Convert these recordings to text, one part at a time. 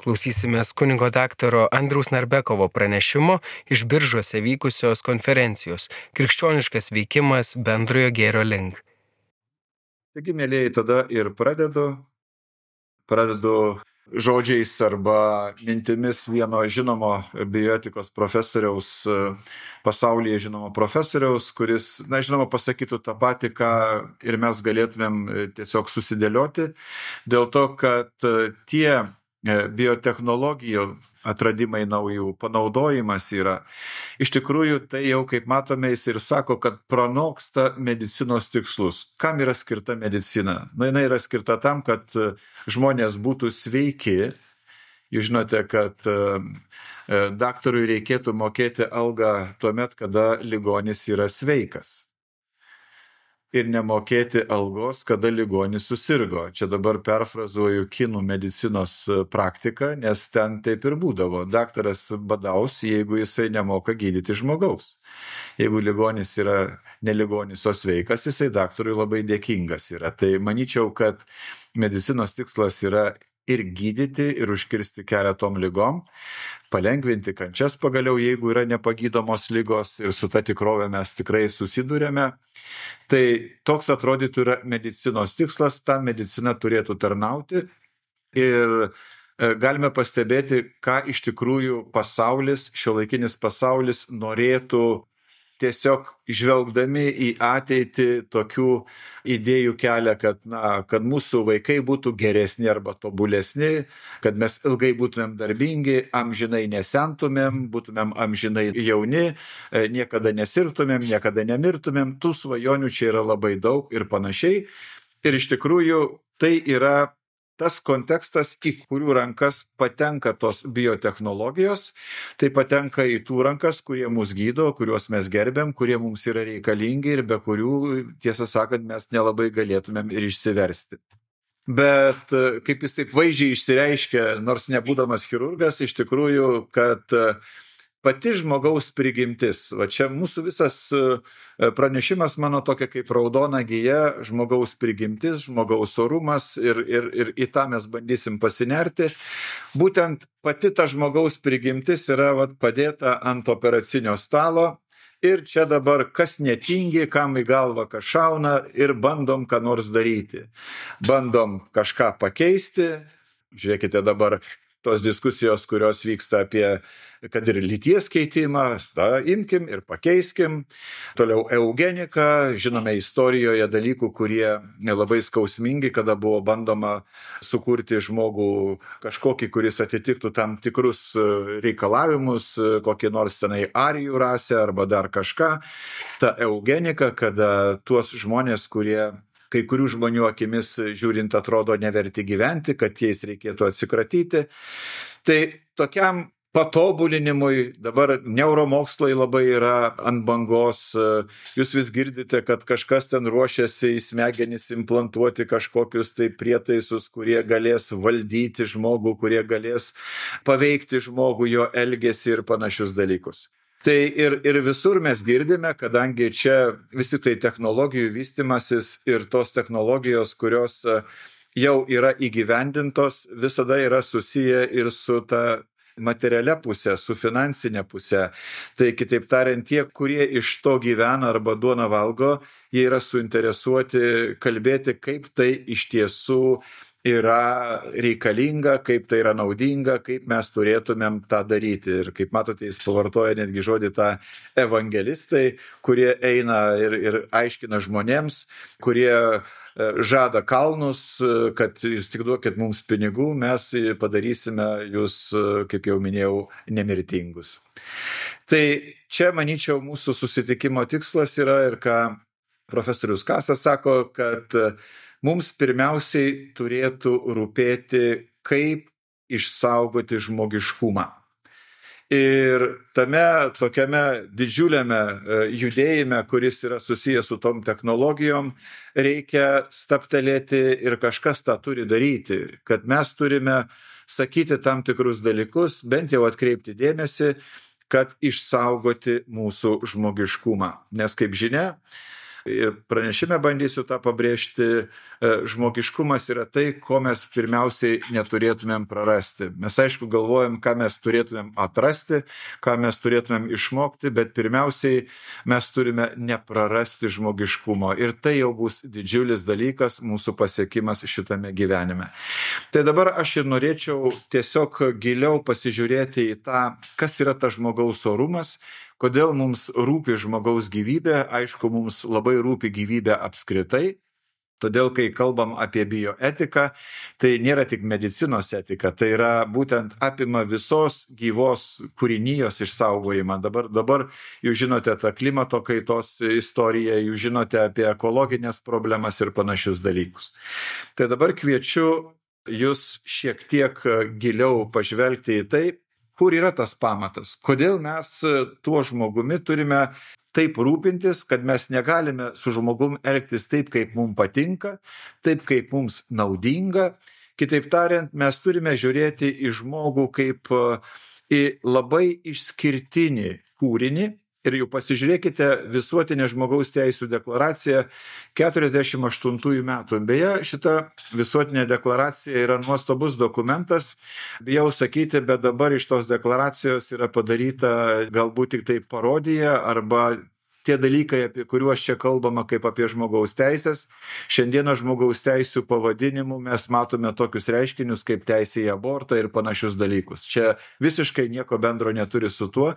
Klausysimės kunigo daktaro Andriaus Narbekovo pranešimo iš Biržuose vykusios konferencijos Krikščioniškas veikimas bendrojo gėrio link. Taigi, mėlyjei, tada ir pradedu žodžiais arba mintimis vieno žinomo bioetikos profesoriaus, pasaulyje žinomo profesoriaus, kuris, žinoma, pasakytų tą patį, ką ir mes galėtumėm tiesiog susidėlioti, dėl to, kad tie biotechnologijų atradimai naujų panaudojimas yra. Iš tikrųjų, tai jau, kaip matome, jis ir sako, kad pranoksta medicinos tikslus. Kam yra skirta medicina? Jinai yra skirta tam, kad žmonės būtų sveiki. Jūs žinote, kad daktarui reikėtų mokėti algą tuomet, kada ligonis yra sveikas. Ir nemokėti algos, kada ligonis susirgo. Čia dabar perfrazuoju kinų medicinos praktiką, nes ten taip ir būdavo. Daktaras badaus, jeigu jisai nemoka gydyti žmogaus. Jeigu ligonis yra ne ligonis, o sveikas, jisai daktarui labai dėkingas yra. Tai manyčiau, kad medicinos tikslas yra ir gydyti, ir užkirsti kelią tom ligom, palengvinti kančias pagaliau, jeigu yra nepagydomos ligos, ir su ta tikrove mes tikrai susidurėme. Tai toks atrodytų yra medicinos tikslas, ta medicina turėtų tarnauti ir galime pastebėti, ką iš tikrųjų pasaulis, šiuolaikinis pasaulis norėtų tiesiog žvelgdami į ateitį tokių idėjų kelią, kad mūsų vaikai būtų geresni arba tobulesni, kad mes ilgai būtumėm darbingi, amžinai nesentumėm, būtumėm amžinai jauni, niekada nesirgtumėm, niekada nemirtumėm. Tų svajonių čia yra labai daug ir panašiai. Ir iš tikrųjų tai yra tas kontekstas, į kurių rankas patenka tos biotechnologijos, tai patenka į tų rankas, kurie mus gydo, kuriuos mes gerbėm, kurie mums yra reikalingi ir be kurių, tiesą sakant, mes nelabai galėtumėm ir išsiversti. Bet kaip jis taip vaizdžiai išsireiškia, nors nebūdamas chirurgas, iš tikrųjų, kad pati žmogaus prigimtis, va čia mūsų visas pranešimas mano tokia kaip raudona gija, žmogaus prigimtis, žmogaus orumas ir į tą mes bandysim pasinerti. Būtent pati ta žmogaus prigimtis yra padėta ant operacinio stalo ir čia dabar kas netingi, kam į galvą kas šauna ir bandom ką nors daryti. Bandom kažką pakeisti, žiūrėkite dabar tos diskusijos, kurios vyksta apie, kad ir lyties keitimą, imkim ir pakeiskim. Toliau eugenika, žinome istorijoje dalykų, kurie labai skausmingi, kada buvo bandoma sukurti žmogų kažkokį, kuris atitiktų tam tikrus reikalavimus, kokį nors tenai arijų rasę arba dar kažką. Ta eugenika, kada tuos žmonės, kurie kai kurių žmonių akimis žiūrint atrodo neverti gyventi, kad jais reikėtų atsikratyti. Tai tokiam patobulinimui dabar neuromokslai labai yra ant bangos. Jūs vis girdite, kad kažkas ten ruošiasi į smegenis implantuoti kažkokius tai prietaisus, kurie galės valdyti žmogų, kurie galės paveikti žmogų, jo elgesį ir panašius dalykus. Tai ir visur mes girdime, kadangi čia vis tik tai technologijų vystimasis ir tos technologijos, kurios jau yra įgyvendintos, visada yra susiję ir su ta materialia pusė, su finansinė pusė. Tai kitaip tariant, tie, kurie iš to gyvena arba duoną valgo, jie yra suinteresuoti kalbėti, kaip tai iš tiesų yra reikalinga, kaip tai yra naudinga, kaip mes turėtumėm tą daryti. Ir kaip matote, jis pavartoja netgi žodį tą evangelistai, kurie eina ir aiškina žmonėms, kurie žada kalnus, kad jūs tik duokit mums pinigų, mes padarysime jūs, kaip jau minėjau, nemirtingus. Tai čia, manyčiau, mūsų susitikimo tikslas yra ir ką profesorius Kasas sako, kad mums pirmiausiai turėtų rūpėti, kaip išsaugoti žmogiškumą. Ir tame tokiame didžiuliame judėjime, kuris yra susijęs su tom technologijom, reikia stabtelėti ir kažkas tą turi daryti, kad mes turime sakyti tam tikrus dalykus, bent jau atkreipti dėmesį, kad išsaugoti mūsų žmogiškumą. Nes kaip žinia, Ir pranešime bandysiu tą pabrėžti, žmogiškumas yra tai, ko mes pirmiausiai neturėtumėm prarasti. Mes aišku galvojam, ką mes turėtumėm atrasti, ką mes turėtumėm išmokti, bet pirmiausiai mes turime neprarasti žmogiškumo. Ir tai jau bus didžiulis dalykas, mūsų pasiekimas šitame gyvenime. Tai dabar aš ir norėčiau tiesiog giliau pasižiūrėti į tą, kas yra tas žmogaus orumas, kodėl mums rūpi žmogaus gyvybė. Aišku, mums labai rūpi gyvybė apskritai. Todėl, kai kalbam apie bioetiką, tai nėra tik medicinos etika, tai yra būtent apima visos gyvos kūrinijos išsaugojimą. Dabar jūs žinote tą klimato kaitos istoriją, jūs žinote apie ekologinės problemas ir panašius dalykus. Tai dabar kviečiu jūs šiek tiek giliau pažvelgti į tai, kur yra tas pamatas, kodėl mes tuo žmogumi turime taip rūpintis, kad mes negalime su žmogum elgtis taip, kaip mums patinka, taip, kaip mums naudinga. Kitaip tariant, mes turime žiūrėti į žmogų kaip į labai išskirtinį kūrinį. Ir jau pasižiūrėkite visuotinę žmogaus teisų deklaraciją 48 metų. Beje, šita visuotinė deklaracija yra nuostabus dokumentas. Bijau sakyti, bet dabar iš tos deklaracijos yra padaryta galbūt tik tai parodija arba tie dalykai, apie kuriuos čia kalbama kaip apie žmogaus teisės. Šiandieną žmogaus teisų pavadinimų mes matome tokius reiškinius kaip teisė į abortą ir panašius dalykus. Čia visiškai nieko bendro neturi su tuo,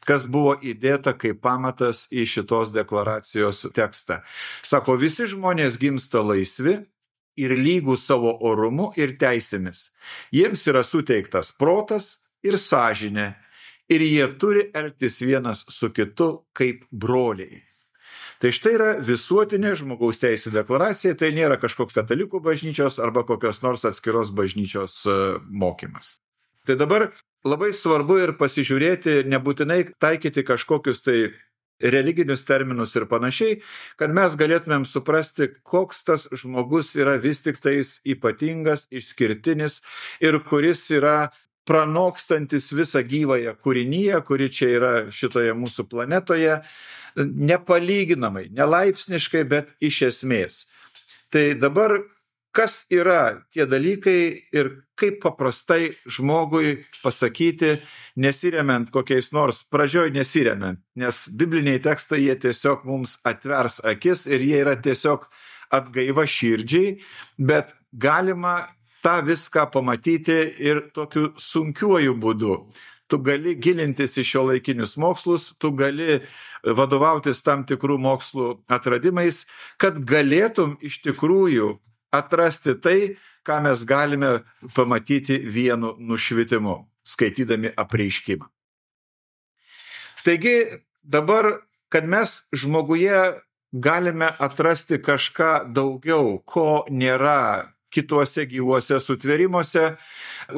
kas buvo įdėta kaip pamatas į šitos deklaracijos tekstą. Sako, visi žmonės gimsta laisvi ir lygų savo orumu ir teisėmis. Jiems yra suteiktas protas ir sąžinė. Ir jie turi elgtis vienas su kitu kaip broliai. Tai štai yra visuotinė žmogaus teisų deklaracija, tai nėra kažkoks katalikų bažnyčios arba kokios nors atskiros bažnyčios mokymas. Tai dabar labai svarbu ir pasižiūrėti, nebūtinai taikyti kažkokius tai religinius terminus ir panašiai, kad mes galėtumėm suprasti, koks tas žmogus yra vis tik tais ypatingas, išskirtinis ir kuris yra pranokstantis visą gyvąją kūriniją, kuri čia yra šitoje mūsų planetoje, nepalyginamai, nelaipsniškai, bet iš esmės. Tai dabar, kas yra tie dalykai ir kaip paprastai žmogui pasakyti, nesiremiant kokiais nors, pradžioj nesiremiant, nes bibliniai tekstai jie tiesiog mums atvers akis ir jie yra tiesiog atgaiva širdžiai, bet galima tą viską pamatyti ir tokiu sunkiuoju būdu. Tu gali gilintis į šiuolaikinius mokslus, tu gali vadovautis tam tikrų mokslų atradimais, kad galėtum iš tikrųjų atrasti tai, ką mes galime pamatyti vienu nušvitimu, skaitydami apreiškimą. Taigi dabar, kad mes žmoguje galime atrasti kažką daugiau, ko nėra kituose gyvuose sutvėrimuose,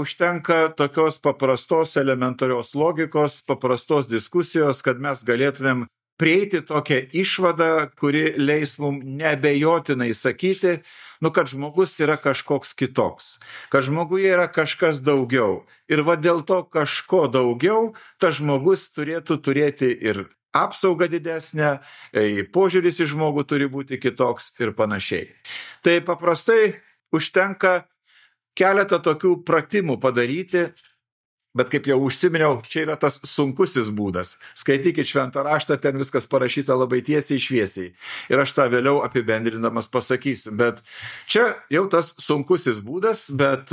užtenka tokios paprastos elementarios logikos, paprastos diskusijos, kad mes galėtumėm prieiti tokią išvadą, kuri leis mums neabejotinai sakyti, kad žmogus yra kažkoks kitoks, kad žmoguje yra kažkas daugiau. Ir va dėl to kažko daugiau, tas žmogus turėtų turėti ir apsaugą didesnę, požiūris į žmogų turi būti kitoks ir panašiai. Tai paprastai užtenka keletą tokių pratimų padaryti, bet kaip jau užsiminiau, čia yra tas sunkusis būdas. Skaitykit šventą raštą, ten viskas parašyta labai tiesiai šviesiai. Ir aš tą vėliau apibendrindamas pasakysiu. Bet čia jau tas sunkusis būdas, bet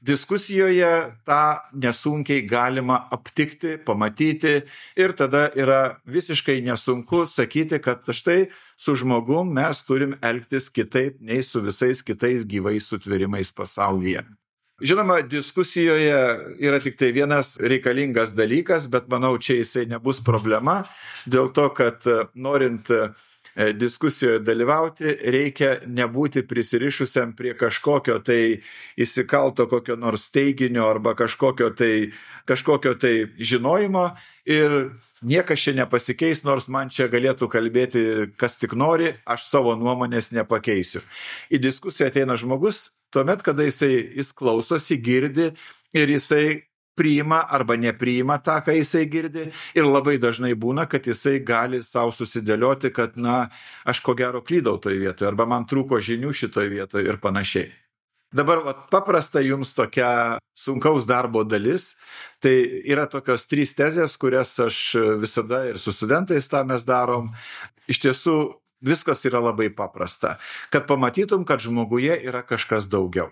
diskusijoje tą nesunkiai galima aptikti, pamatyti ir tada yra visiškai nesunku sakyti, kad štai su žmogum mes turim elgtis kitaip nei su visais kitais gyvais sutvėrimais pasaulyje. Žinoma, diskusijoje yra tik tai vienas reikalingas dalykas, bet manau, čia jisai nebus problema, dėl to, kad norint diskusijoje dalyvauti, reikia nebūti prisirišusiam prie kažkokio tai įsikalto kokio nors teiginio arba kažkokio tai žinojimo ir niekas čia nepasikeis, nors man čia galėtų kalbėti kas tik nori, aš savo nuomonės nepakeisiu. Į diskusiją ateina žmogus tuomet, kada jis klausosi, girdi ir jisai priima arba nepriima tą, ką jisai girdi, ir labai dažnai būna, kad jisai gali savo susidėlioti, kad, aš ko gero klydau toje vietoje, arba man trūko žinių šitoje vietoje ir panašiai. Dabar paprasta jums tokia sunkaus darbo dalis, tai yra tokios 3 tezės, kurias aš visada ir su studentais tą mes darom. Iš tiesų, viskas yra labai paprasta, kad pamatytum, kad žmoguje yra kažkas daugiau.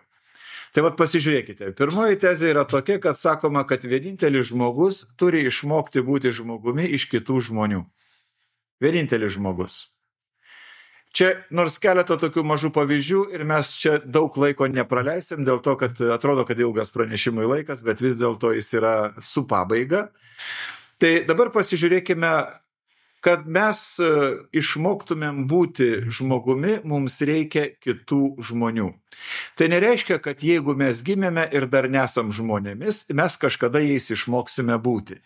Tai pasižiūrėkite, pirmoji tezė yra tokia, kad sakoma, kad vienintelis žmogus turi išmokti būti žmogumi iš kitų žmonių. Vienintelis žmogus. Čia nors keletą tokių mažų pavyzdžių ir mes čia daug laiko nepraleisim, dėl to, kad atrodo, kad ilgas pranešimui laikas, bet vis dėlto jis yra su pabaiga. Tai dabar pasižiūrėkime, kad mes išmoktumėm būti žmogumi, mums reikia kitų žmonių. Tai nereiškia, kad jeigu mes gimėme ir dar nesam žmonėmis, mes kažkada jais išmoksime būti.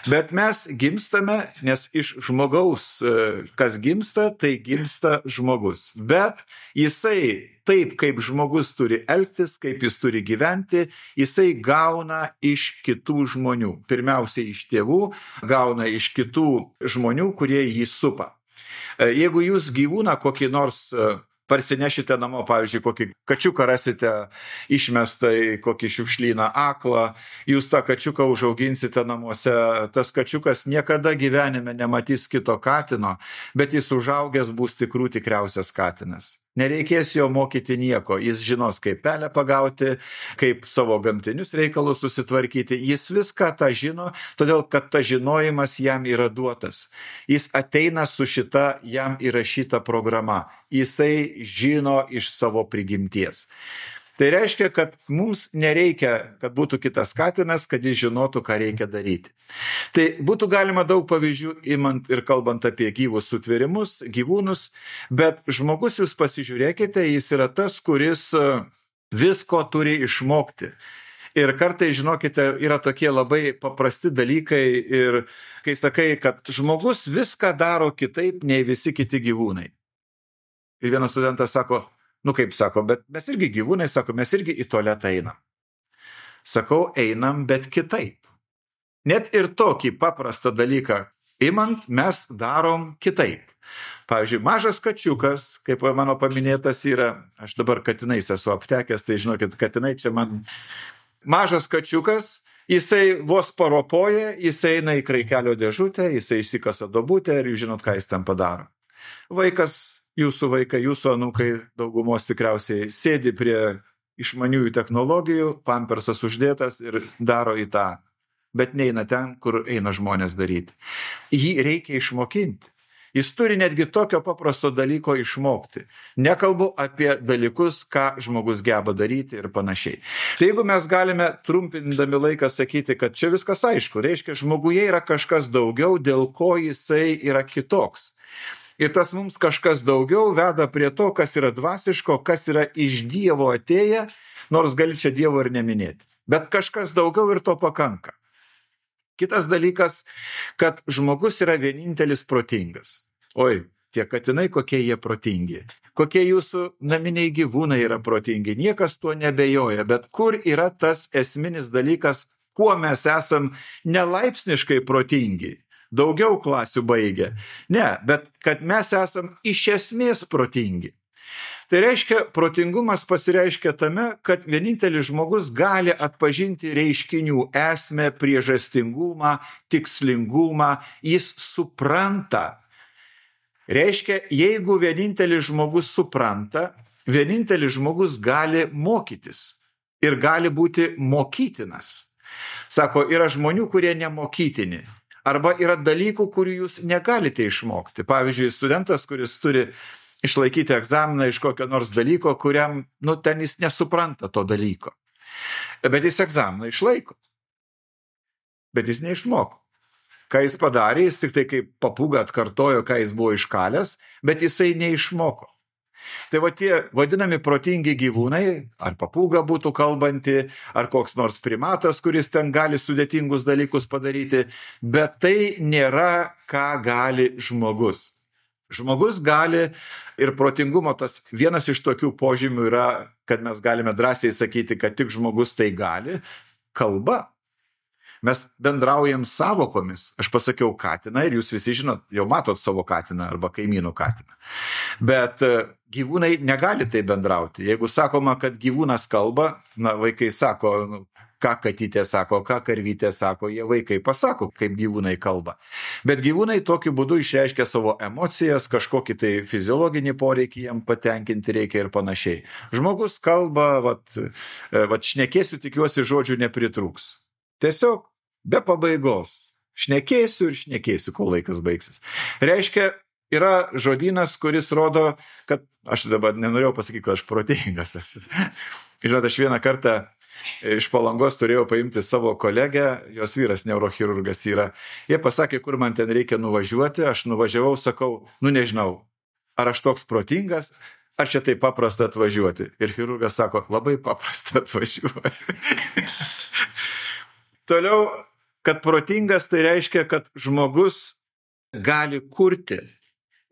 Bet mes gimstame, nes iš žmogaus, kas gimsta, tai gimsta žmogus. Bet jisai taip, kaip žmogus turi elgtis, kaip jis turi gyventi, jisai gauna iš kitų žmonių. Pirmiausiai iš tėvų, gauna iš kitų žmonių, kurie jį supa. Jeigu jūs gyvūną kokį nors parsinešite namo, pavyzdžiui, kokį kačiuką rasite išmestą į kokį šiukšlyną aklą, jūs tą kačiuką užauginsite namuose, tas kačiukas niekada gyvenime nematys kito katino, bet jis užaugęs bus tikriausias katinas. Nereikės jo mokyti nieko, jis žinos, kaip pelę pagauti, kaip savo gamtinius reikalus susitvarkyti, jis viską tą žino, todėl kad tas žinojimas jam yra duotas. Jis ateina su šita jam įrašyta programa, jisai žino iš savo prigimties. Tai reiškia, kad mums nereikia, kad būtų kitas katinas, kad jis žinotų, ką reikia daryti. Tai būtų galima daug pavyzdžių imant ir kalbant apie gyvus sutvėrimus, gyvūnus, bet žmogus, jūs pasižiūrėkite, jis yra tas, kuris visko turi išmokti. Ir kartais, žinokite, yra tokie labai paprasti dalykai ir kai sakai, kad žmogus viską daro kitaip nei visi kiti gyvūnai. Ir vienas studentas sako, kaip sako, bet mes irgi gyvūnai, sako, mes irgi į tualetą einam. Sakau, einam, bet kitaip. Net ir tokį paprastą dalyką imant, mes darom kitaip. Pavyzdžiui, mažas kačiukas, kaip mano paminėtas yra, aš dabar katinais esu aptekęs, tai žinokit, katinai čia man. Mažas kačiukas, jisai vos paropoja, jisai eina į kraikelio dėžutę, jisai išsikasa duobutę ir jūs žinot, ką jis ten padaro. Vaikas, jūsų vaikai, jūsų anūkai daugumos tikriausiai sėdi prie išmaniųjų technologijų, pampersas uždėtas ir daro į tą, bet neina ten, kur eina žmonės daryti. Jį reikia išmokinti. Jis turi netgi tokio paprasto dalyko išmokti. Nekalbu apie dalykus, ką žmogus geba daryti ir panašiai. Tai jeigu mes galime trumpindami laiką sakyti, kad čia viskas aišku, reiškia, žmoguje yra kažkas daugiau, dėl ko jisai yra kitoks. Ir tas mums kažkas daugiau veda prie to, kas yra dvasiško, kas yra iš Dievo atėję, nors gali čia Dievo ir neminėti. Bet kažkas daugiau ir to pakanka. Kitas dalykas, kad žmogus yra vienintelis protingas. Oi, tie katinai, kokie jie protingi. Kokie jūsų naminiai gyvūnai yra protingi. Niekas tuo nebejoja. Bet kur yra tas esminis dalykas, kuo mes esam nelaipsniškai protingi? Daugiau klasių baigę. Ne, bet kad mes esam iš esmės protingi. Tai reiškia, protingumas pasireiškia tame, kad vienintelis žmogus gali atpažinti reiškinių esmę, priežastingumą, tikslingumą, jis supranta. Reiškia, jeigu vienintelis žmogus supranta, vienintelis žmogus gali mokytis ir gali būti mokytinas. Sako, yra žmonių, kurie nemokytini. Arba yra dalykų, kurių jūs negalite išmokti. Pavyzdžiui, studentas, kuris turi išlaikyti egzaminą iš kokio nors dalyko, kuriam, ten jis nesupranta to dalyko. Bet jis egzaminą išlaiko. Bet jis neišmoko. Ką jis padarė, jis tik tai kaip papūga atkartojo, ką jis buvo iškalęs, bet jisai neišmoko. Tai tie vadinami protingi gyvūnai, ar papūga būtų kalbanti, ar koks nors primatas, kuris ten gali sudėtingus dalykus padaryti, bet tai nėra, ką gali žmogus. Žmogus gali ir protingumo tas vienas iš tokių požymių yra, kad mes galime drąsiai sakyti, kad tik žmogus tai gali, kalba. Mes bendraujam savokomis. Aš pasakiau katiną ir jūs visi žinot, jau matot savo katiną arba kaimynų katiną. Bet gyvūnai negali tai bendrauti. Jeigu sakoma, kad gyvūnas kalba, vaikai sako, ką katytė sako, ką karvytė sako, jie vaikai pasako, kaip gyvūnai kalba. Bet gyvūnai tokiu būdu išreiškia savo emocijas, kažkokį tai fiziologinį poreikį jam patenkinti reikia ir panašiai. Žmogus kalba, šnekėsiu, tikiuosi, žodžių nepritrūks. Tiesiog be pabaigos. Šnekėsiu ir šnekėsiu, kol laikas baigsis. Reiškia, yra žodynas, kuris rodo, kad aš dabar nenorėjau pasakyti, kad aš protingas. Žinot, aš vieną kartą iš Palangos turėjau paimti savo kolegę, jos vyras neurochirurgas yra. Jie pasakė, kur man ten reikia nuvažiuoti, aš nuvažiavau, sakau, nežinau, ar aš toks protingas, ar čia taip paprasta atvažiuoti. Ir chirurgas sako, labai paprasta atvažiuoti. Toliau, kad protingas, tai reiškia, kad žmogus gali kurti.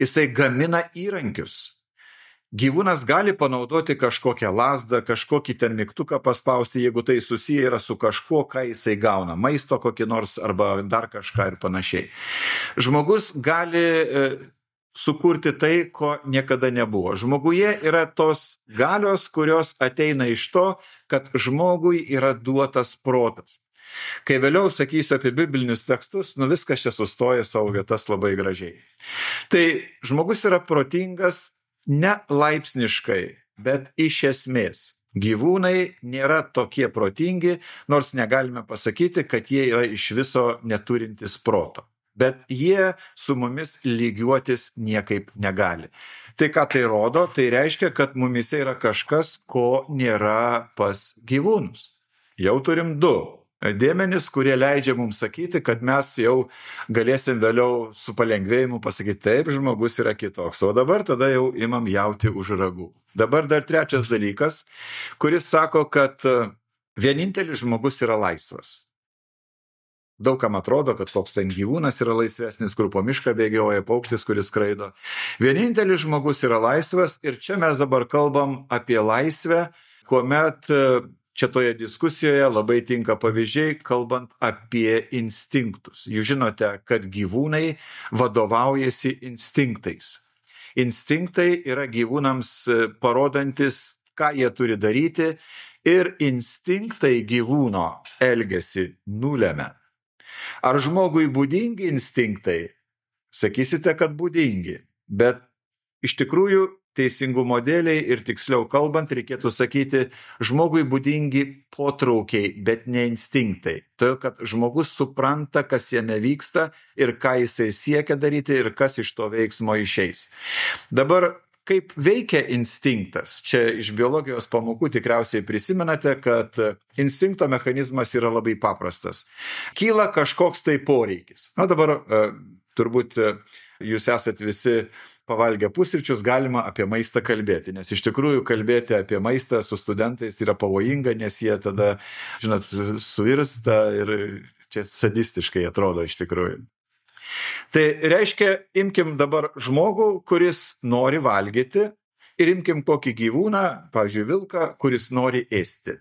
Jisai gamina įrankius. Gyvūnas gali panaudoti kažkokią lazdą, kažkokį ten mygtuką paspausti, jeigu tai susiję yra su kažkuo, ką jisai gauna. Maisto kokį nors arba dar kažką ir panašiai. Žmogus gali sukurti tai, ko niekada nebuvo. Žmoguje yra tos galios, kurios ateina iš to, kad žmogui yra duotas protas. Kai vėliau sakysiu apie biblinius tekstus, viskas čia sustoja savo vietas labai gražiai. Tai žmogus yra protingas ne laipsniškai, bet iš esmės. Gyvūnai nėra tokie protingi, nors negalime pasakyti, kad jie yra iš viso neturintis proto. Bet jie su mumis lygiuotis niekaip negali. Tai ką tai rodo? Tai reiškia, kad mumise yra kažkas, ko nėra pas gyvūnus. Jau turim du dėmenis, kurie leidžia mums sakyti, kad mes jau galėsim vėliau su palengvėjimu pasakyti, taip, žmogus yra kitoks. O dabar tada jau imam jauti už ragų. Dabar dar trečias dalykas, kuris sako, kad vienintelis žmogus yra laisvas. Daugam atrodo, kad koks ten gyvūnas yra laisvesnis, kur po mišką bėgioja paukštis, kuris skraido. Vienintelis žmogus yra laisvas ir čia mes dabar kalbam apie laisvę, kuomet čia toje diskusijoje labai tinka pavyzdžiai, kalbant apie instinktus. Jūs žinote, kad gyvūnai vadovaujasi instinktais. Instinktai yra gyvūnams parodantis, ką jie turi daryti, ir instinktai gyvūno elgesį nulemia. Ar žmogui būdingi instinktai? Sakysite, kad būdingi, bet iš tikrųjų teisingumo dėliai ir tiksliau kalbant, reikėtų sakyti, žmogui būdingi potraukiai, bet ne instinktai. Todėl, kad žmogus supranta, kas jame vyksta ir ką jisai siekia daryti ir kas iš to veiksmo išeis. Dabar, kaip veikia instinktas? Čia iš biologijos pamokų tikriausiai prisimenate, kad instinkto mechanizmas yra labai paprastas. Kyla kažkoks tai poreikis. Dabar turbūt jūs esat visi pavalgę pusryčius, galima apie maistą kalbėti, nes iš tikrųjų kalbėti apie maistą su studentais yra pavojinga, nes jie tada, žinot, suirsta ir čia sadistiškai atrodo iš tikrųjų. Tai reiškia, imkim dabar žmogų, kuris nori valgyti ir imkim kokį gyvūną, pavyzdžiui, vilką, kuris nori ėsti.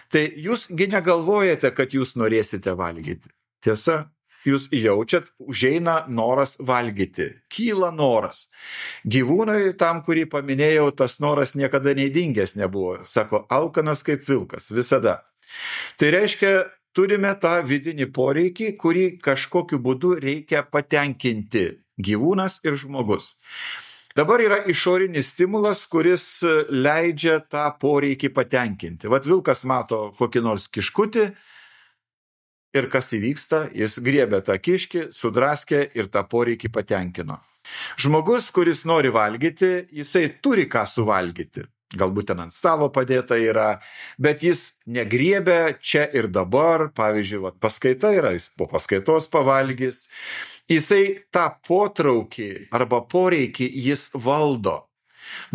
Tai jūsgi negalvojate, kad jūs norėsite valgyti. Tiesa? Jūs jaučiat, užeina noras valgyti, kyla noras. Gyvūnui tam, kurį paminėjau, tas noras niekada neįdingęs nebuvo. Sako, alkanas kaip vilkas, visada. Tai reiškia, turime tą vidinį poreikį, kurį kažkokiu būdu reikia patenkinti gyvūnas ir žmogus. Dabar yra išorinis stimulas, kuris leidžia tą poreikį patenkinti. Vat vilkas mato kokį nors kiškutį, ir kas įvyksta, jis griebė tą kiškį, sudraskė ir tą poreikį patenkino. Žmogus, kuris nori valgyti, jisai turi ką suvalgyti. Galbūt ten ant stalo padėta yra, bet jis negriebė čia ir dabar. Pavyzdžiui, paskaita yra, jis po paskaitos pavalgys. Jisai tą potraukį arba poreikį jis valdo.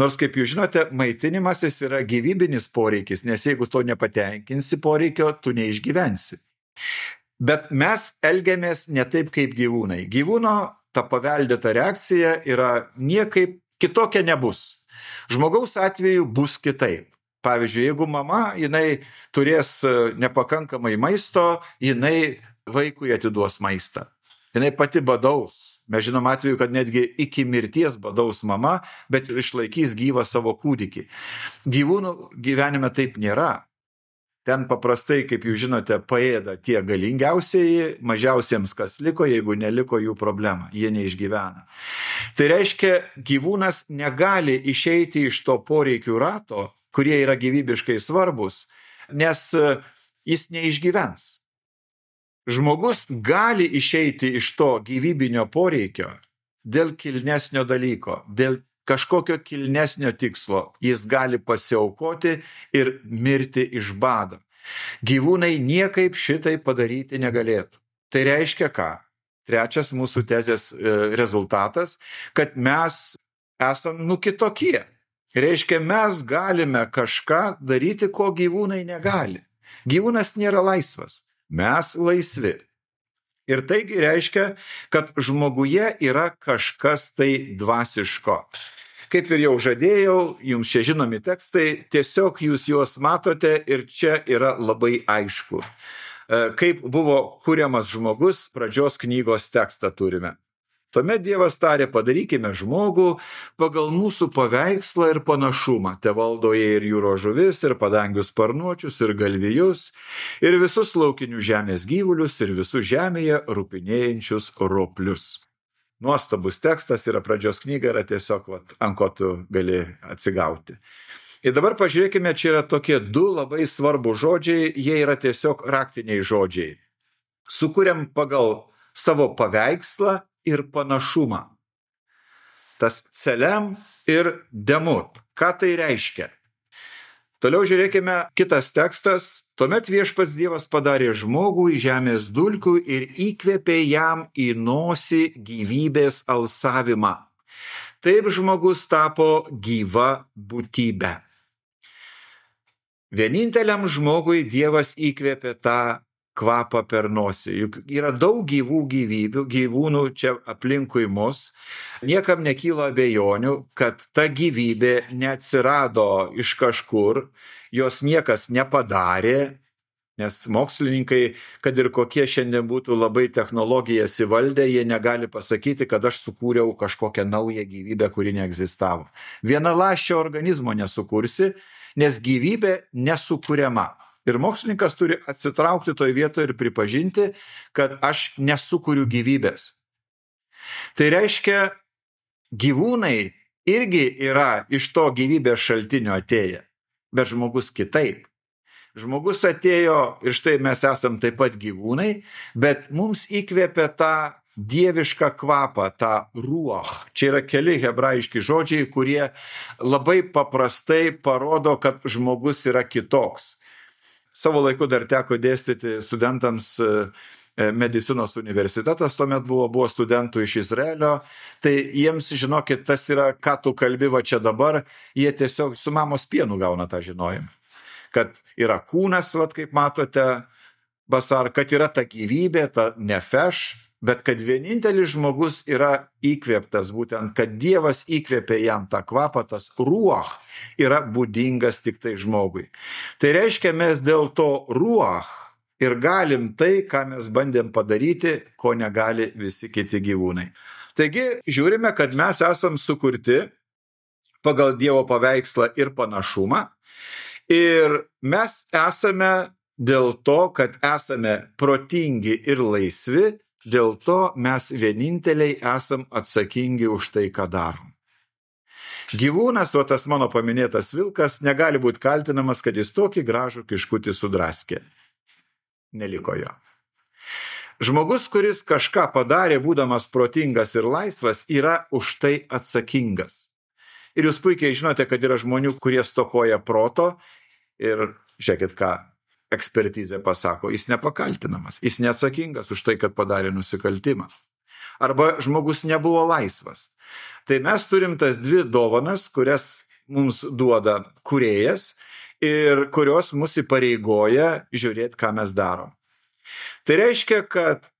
Nors, kaip jūs žinote, maitinimasis yra gyvybinis poreikis, nes jeigu to nepatenkinsi poreikio, tu neišgyvensi. Bet mes elgiamės ne taip kaip gyvūnai. Gyvūno ta paveldėta reakcija yra niekaip kitokia nebus. Žmogaus atveju bus kitaip. Pavyzdžiui, jeigu mama, jinai turės nepakankamai maisto, jinai vaikui atiduos maistą. Jinai pati badaus. Mes žinom atveju, kad netgi iki mirties badaus mama, bet išlaikys gyvą savo kūdikį. Gyvūnų gyvenime taip nėra. Ten paprastai, kaip jūs žinote, paėda tie galingiausieji, mažiausiems kas liko, jeigu neliko jų problema, jie neišgyvena. Tai reiškia, gyvūnas negali išeiti iš to poreikių rato, kurie yra gyvybiškai svarbus, nes jis neišgyvens. Žmogus gali išeiti iš to gyvybinio poreikio dėl kilnesnio dalyko, dėl kažkokio kilnesnio tikslo. Jis gali pasiaukoti ir mirti iš bado. Gyvūnai niekaip šitai padaryti negalėtų. Tai reiškia ką? Trečias mūsų tezės rezultatas, kad mes esam kitokie. Reiškia, mes galime kažką daryti, ko gyvūnai negali. Gyvūnas nėra laisvas. Mes laisvi. Ir taigi reiškia, kad žmoguje yra kažkas tai dvasiško. Kaip ir jau žadėjau, jums čia žinomi tekstai, tiesiog jūs juos matote ir čia yra labai aišku. Kaip buvo kuriamas žmogus, pradžios knygos tekstą turime. Tuomet Dievas tarė, padarykime žmogų pagal mūsų paveikslą ir panašumą. Te valdo jie ir jūros žuvis, ir padangių sparnuočius, ir galvijus, ir visus laukinių žemės gyvulius, ir visus žemėje rupinėjančius roplius. Nuostabus tekstas yra pradžios knyga, yra tiesiog ant ko tu gali atsigauti. Ir dabar pažiūrėkime, čia yra tokie du labai svarbus žodžiai, jie yra tiesiog raktiniai žodžiai. Sukuriam pagal savo paveikslą ir panašumą. Tas celem ir demut. Ką tai reiškia? Toliau žiūrėkime kitas tekstas. Tuomet viešpats Dievas padarė žmogų iš žemės dulkių ir įkvėpė jam į nosį gyvybės alsavimą. Taip žmogus tapo gyva būtybė. Vieninteliam žmogui Dievas įkvėpė tą kvapą per nosį. Juk yra daug gyvų gyvūnų čia aplinkui mus. Niekam nekyla abejonių, kad ta gyvybė neatsirado iš kažkur, jos niekas nepadarė, nes mokslininkai, kad ir kokie šiandien būtų labai technologijas įvaldę, jie negali pasakyti, kad aš sukūriau kažkokią naują gyvybę, kuri neegzistavo. Vienaląsčio organizmo nesukursi, nes gyvybė nesukuriama. Ir mokslininkas turi atsitraukti toj vietoje ir pripažinti, kad aš nesukuriu gyvybės. Tai reiškia, gyvūnai irgi yra iš to gyvybės šaltinio atėję, bet žmogus kitaip. Žmogus atėjo ir štai mes esam taip pat gyvūnai, bet mums įkvėpė tą dievišką kvapą, tą ruach. Čia yra keli hebrajiški žodžiai, kurie labai paprastai parodo, kad žmogus yra kitoks. Savo laiku dar teko dėstyti studentams medicinos universitetas, tuomet buvo studentų iš Izraelio, tai jiems, žinokit, tas yra, ką tu kalbi va čia dabar, jie tiesiog su mamos pienu gauna tą žinojimą. Kad yra kūnas, va, kaip matote, basar, kad yra ta gyvybė, ta nefeš, bet kad vienintelis žmogus yra įkvėptas, būtent, kad Dievas įkvėpė jam tą kvapą, tas ruach yra būdingas tik tai žmogui. Tai reiškia, mes dėl to ruach ir galim tai, ką mes bandėm padaryti, ko negali visi kiti gyvūnai. Taigi, žiūrime, kad mes esam sukurti pagal Dievo paveikslą ir panašumą ir mes esame dėl to, kad esame protingi ir laisvi, dėl to mes vieninteliai esam atsakingi už tai, ką darom. Gyvūnas, o tas mano paminėtas vilkas, negali būti kaltinamas, kad jis tokį gražų kiškutį sudraskė. Neliko jo. Žmogus, kuris kažką padarė, būdamas protingas ir laisvas, yra už tai atsakingas. Ir jūs puikiai žinote, kad yra žmonių, kurie stokoja proto ir žiūrėkit ką. Ekspertizė pasako, jis nepakaltinamas, jis neatsakingas už tai, kad padarė nusikaltimą. Arba žmogus nebuvo laisvas. Tai mes turim tas dvi dovanas, kurias mums duoda kūrėjas ir kurios mus įpareigoja žiūrėti, ką mes darom. Tai reiškia, kad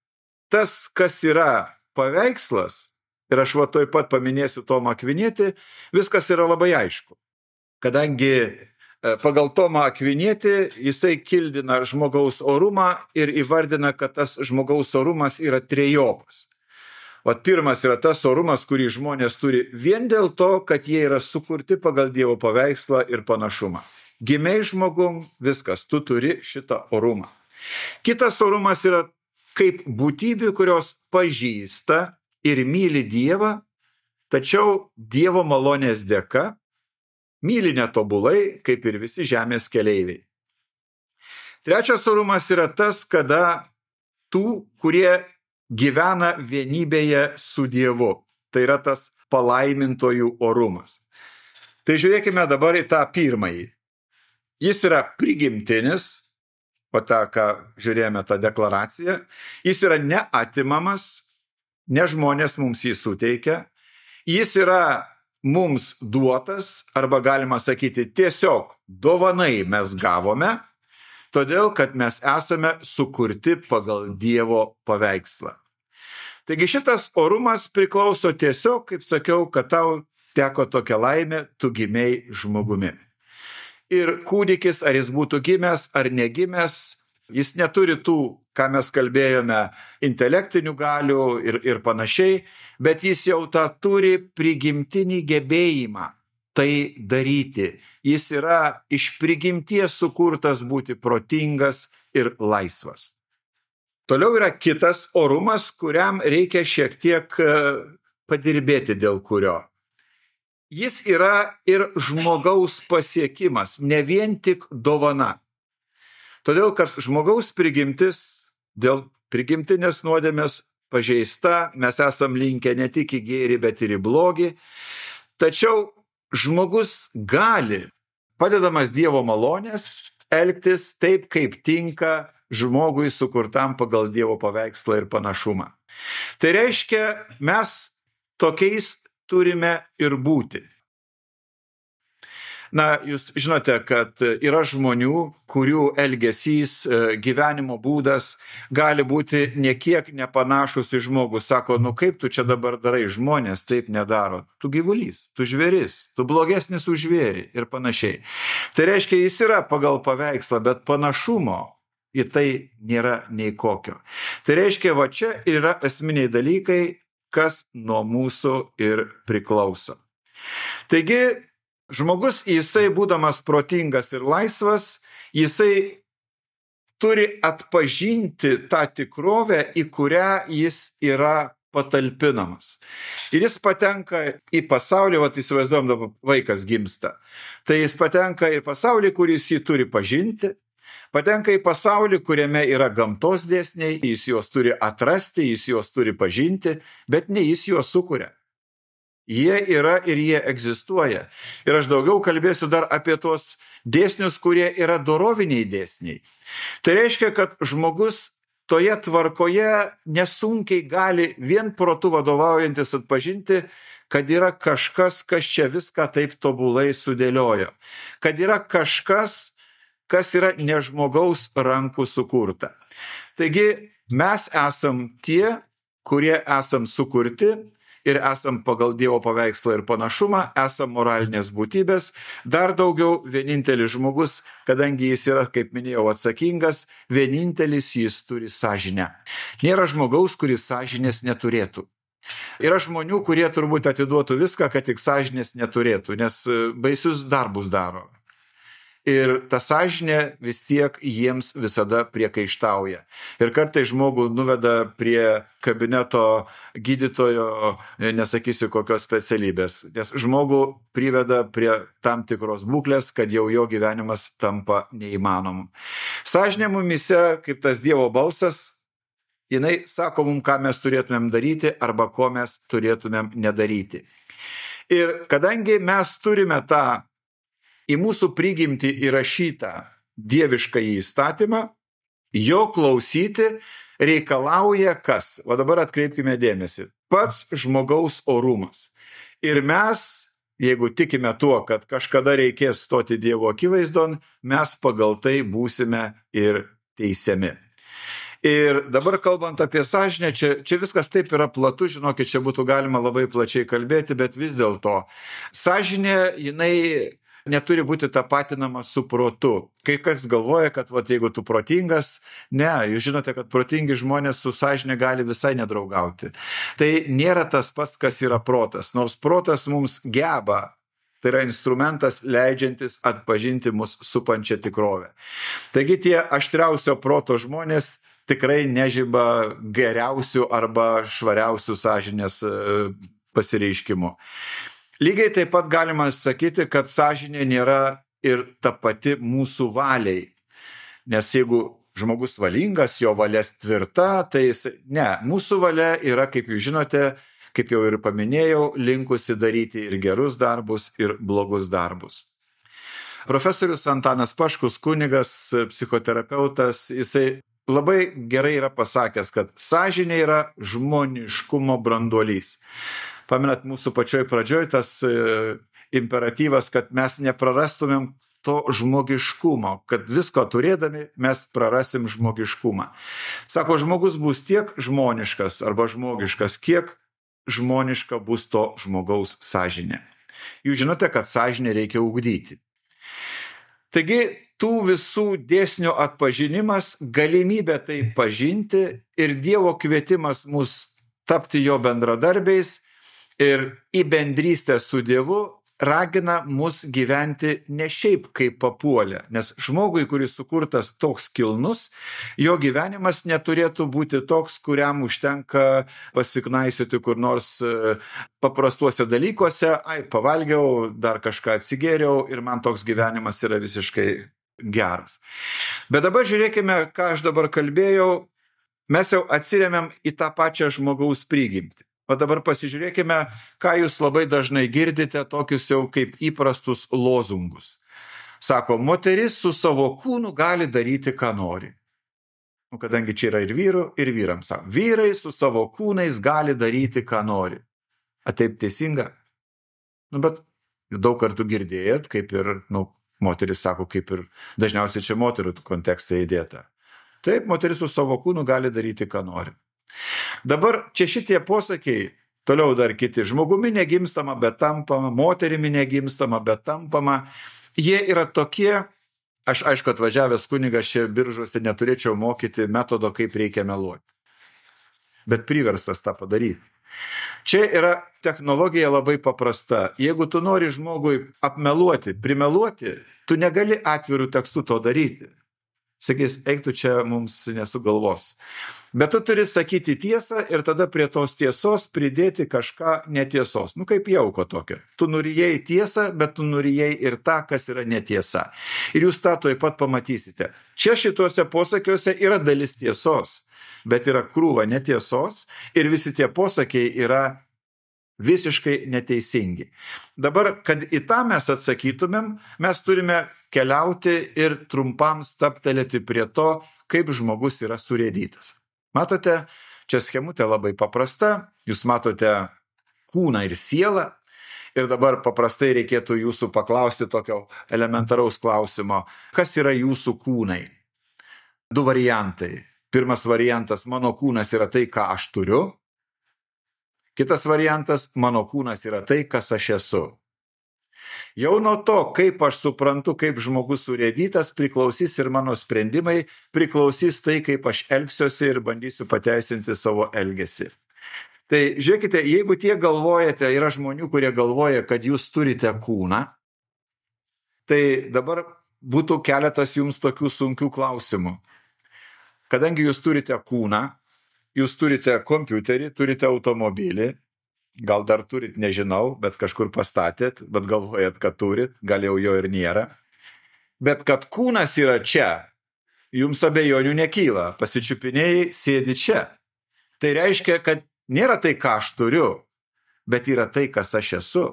tas, kas yra paveikslas, ir aš va toj pat paminėsiu Tomą Akvinietį, viskas yra labai aišku. Kadangi Pagal Tomą Akvinietį jisai kildina žmogaus orumą ir įvardina, kad tas žmogaus orumas yra trejopas. Vat pirmas yra tas orumas, kurį žmonės turi vien dėl to, kad jie yra sukurti pagal Dievo paveikslą ir panašumą. Gimiai žmogum, viskas, tu turi šitą orumą. Kitas orumas yra kaip būtybių, kurios pažįsta ir myli Dievą, tačiau Dievo malonės dėka myli netobulai, kaip ir visi žemės keleiviai. Trečias orumas yra tas, kada tų, kurie gyvena vienybėje su Dievu. Tai yra tas palaimintojų orumas. Tai žiūrėkime dabar į tą pirmąjį. Jis yra prigimtinis, o tą, ką žiūrėjome, tą deklaraciją. Jis yra neatimamas, ne žmonės mums jį suteikia. Jis yra mums duotas, arba galima sakyti, tiesiog dovanai mes gavome, todėl, kad mes esame sukurti pagal Dievo paveikslą. Taigi šitas orumas priklauso tiesiog, kaip sakiau, kad tau teko tokia laimė, tu gimei žmogumi. Ir kūdikis, ar jis būtų gimęs ar negimęs, jis neturi tų, ką mes kalbėjome, intelektinių galių ir panašiai, bet jis jau tą turi prigimtinį gebėjimą tai daryti. Jis yra iš prigimties sukurtas būti protingas ir laisvas. Toliau yra kitas orumas, kuriam reikia šiek tiek padirbėti, dėl kurio. Jis yra ir žmogaus pasiekimas, ne vien tik dovana. Todėl, kad žmogaus prigimtis dėl prigimtinės nuodėmės pažeista, mes esam linkę ne tik į gėrį, bet ir į blogį. Tačiau žmogus gali, padedamas Dievo malonės, elgtis taip, kaip tinka žmogui sukurtam pagal Dievo paveikslą ir panašumą. Tai reiškia, mes tokiais turime ir būti. Na, jūs žinote, kad yra žmonių, kurių elgesys, gyvenimo būdas gali būti niekiek nepanašus į žmogų. Sako, nu kaip tu čia dabar darai, žmonės taip nedaro. Tu gyvulys, tu žvėris, tu blogesnis už žvėrį ir panašiai. Tai reiškia, jis yra pagal paveikslą, bet panašumo į tai nėra nei kokio. Tai reiškia, va čia yra esminiai dalykai, kas nuo mūsų ir priklauso. Taigi, žmogus, jisai būdamas protingas ir laisvas, jisai turi atpažinti tą tikrovę, į kurią jis yra patalpinamas. Ir jis patenka į pasaulį, įsivaizduojam, dabar vaikas gimsta. Tai jis patenka į pasaulį, kuris jį turi pažinti, patenka į pasaulį, kuriame yra gamtos dėsniai, jis juos turi atrasti, jis juos turi pažinti, bet ne jis juos sukuria. Jie yra ir jie egzistuoja. Ir aš daugiau kalbėsiu dar apie tuos dėsnius, kurie yra doroviniai dėsniai. Tai reiškia, kad žmogus toje tvarkoje nesunkiai gali vien protu vadovaujantis atpažinti, kad yra kažkas, kas čia viską taip tobulai sudėliojo. Kad yra kažkas, kas yra ne žmogaus rankų sukurta. Taigi mes esam tie, kurie esam sukurti, ir esam pagal Dievo paveikslą ir panašumą, esam moralinės būtybės, dar daugiau vienintelis žmogus, kadangi jis yra, kaip minėjau, atsakingas, vienintelis jis turi sąžinę. Nėra žmogaus, kuris sąžinės neturėtų. Yra žmonių, kurie turbūt atiduotų viską, kad tik sąžinės neturėtų, nes baisius darbus daro. Ir ta sąžinė vis tiek jiems visada priekaištauja. Ir kartais žmogų nuveda prie kabineto gydytojo, nesakysiu kokios specialybės, nes žmogų priveda prie tam tikros būklės, kad jau jo gyvenimas tampa neįmanomu. Sąžinė mumise, kaip tas Dievo balsas, jinai sako mums, ką mes turėtumėm daryti arba ko mes turėtumėm nedaryti. Ir kadangi mes turime tą į mūsų prigimtį įrašytą dievišką įstatymą, jo klausyti reikalauja kas? O dabar atkreipkime dėmesį. Pats žmogaus orumas. Ir mes, jeigu tikime tuo, kad kažkada reikės stoti Dievo akivaizdon, mes pagal tai būsime ir teisiami. Ir dabar kalbant apie sąžinę, čia viskas taip yra platu, žinokit, čia būtų galima labai plačiai kalbėti, bet vis dėlto sąžinė, jinai neturi būti tapatinama su protu. Kai kas galvoja, kad jeigu tu protingas, ne, jūs žinote, kad protingi žmonės su sąžine gali visai nedraugauti. Tai nėra tas pats, kas yra protas, nors protas mums geba. Tai yra instrumentas leidžiantis atpažinti mus supančią tikrovę. Taigi tie aštriausio proto žmonės tikrai nežiba geriausių arba švariausių sąžinės pasireiškimų. Lygiai taip pat galima sakyti, kad sąžinė nėra ir ta pati mūsų valiai. Nes jeigu žmogus valingas, jo valia tvirta, tai mūsų valia yra, kaip jūs žinote, kaip jau ir paminėjau, linkusi daryti ir gerus darbus, ir blogus darbus. Profesorius Antanas Paškus, kunigas, psichoterapeutas, jisai labai gerai yra pasakęs, kad sąžinė yra žmoniškumo branduolys. Pamenat, mūsų pačioj pradžioj tas imperatyvas, kad mes neprarastumėm to žmogiškumo, kad visko turėdami mes prarasim žmogiškumą. Sako, žmogus bus tiek žmoniškas arba žmogiškas, kiek žmoniška bus to žmogaus sąžinė. Jūs žinote, kad sąžinę reikia ugdyti. Taigi, tų visų dėsnių atpažinimas, galimybė tai pažinti ir Dievo kvietimas mus tapti jo bendradarbiais ir į bendrystę su Dievu ragina mus gyventi ne šiaip kaip papuolę, nes žmogui, kuris sukurtas toks kilnus, jo gyvenimas neturėtų būti toks, kuriam užtenka pasiknaisioti kur nors paprastuose dalykuose, pavalgiau, dar kažką atsigėriau ir man toks gyvenimas yra visiškai geras. Bet dabar žiūrėkime, ką aš dabar kalbėjau, mes jau atsiremiam į tą pačią žmogaus prigimtį. O dabar pasižiūrėkime, ką jūs labai dažnai girdite, tokius jau kaip įprastus lozungus. Sako, moteris su savo kūnu gali daryti, ką nori. Kadangi čia yra ir vyrų, ir vyrams. Sako, vyrai su savo kūnais gali daryti, ką nori. Taip teisinga? Bet daug kartų girdėjot, kaip ir, moteris sako, kaip ir dažniausiai čia moterų kontekste įdėta. Taip, moteris su savo kūnu gali daryti, ką nori. Dabar čia šitie posakiai, toliau dar kiti, žmogumi negimstama, bet tampama, moterimi negimstama, bet tampama, jie yra tokie, aš aišku atvažiavęs kunigas čia Biržuose neturėčiau mokyti metodo, kaip reikia meluoti, bet priverstas tą padaryti. Čia yra technologija labai paprasta, jeigu tu nori žmogui apmeluoti, primeluoti, tu negali atvirų tekstų to daryti. Sakys, eik tu čia mums nesugalvos. Bet tu turi sakyti tiesą ir tada prie tos tiesos pridėti kažką netiesos. Kaip jauko tokio. Tu nurijai tiesą, bet tu nurijai ir tą, kas yra netiesa. Ir jūs tą tuoj pat pamatysite. Čia šituose posakiuose yra dalis tiesos, bet yra krūva netiesos ir visi tie posakiai yra visiškai neteisingi. Dabar, kad į tą mes atsakytumėm, mes turime keliauti ir trumpam stabtelėti prie to, kaip žmogus yra surėdytas. Matote, čia schemutė labai paprasta, jūs matote kūną ir sielą ir dabar paprastai reikėtų jūsų paklausti tokio elementaraus klausimo, kas yra jūsų kūnai? Du variantai. Pirmas variantas, mano kūnas yra tai, ką aš turiu. Kitas variantas, mano kūnas yra tai, kas aš esu. Jau nuo to, kaip aš suprantu, kaip žmogus surėdytas, priklausys ir mano sprendimai, priklausys tai, kaip aš elgsiuosi ir bandysiu pateisinti savo elgesį. Tai žiūrėkite, jeigu tie galvojate, yra žmonių, kurie galvoja, kad jūs turite kūną, tai dabar būtų keletas jums tokių sunkių klausimų. Kadangi jūs turite kūną, jūs turite kompiuterį, turite automobilį, gal dar turit, nežinau, bet kažkur pastatėt, bet galvojat, kad turit, gal jau jo ir nėra. Bet kad kūnas yra čia, jums abejonių nekyla, pasičiupinėjai, sėdi čia. Tai reiškia, kad nėra tai, ką aš turiu, bet yra tai, kas aš esu.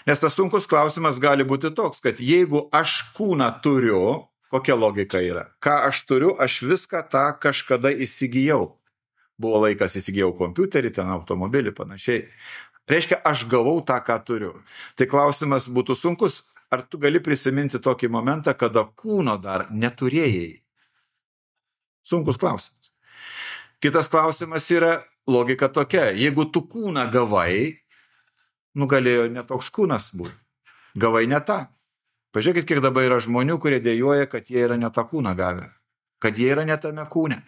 Nes tas sunkus klausimas gali būti toks, kad jeigu aš kūną turiu, kokia logika yra? Ką aš turiu, aš viską tą kažkada įsigijau. Buvo laikas įsigijau kompiuterį, ten automobilį, panašiai. Reiškia, aš gavau tą, ką turiu. Tai klausimas būtų sunkus. Ar tu gali prisiminti tokį momentą, kada kūno dar neturėjai? Sunkus klausimas. Kitas klausimas yra logika tokia. Jeigu tu kūną gavai, galėjo netoks kūnas būti. Gavai ne tą. Pažiūrėkit, kiek dabar yra žmonių, kurie dėjoja, kad jie yra ne tą kūną gavę, kad jie yra ne tame kūne.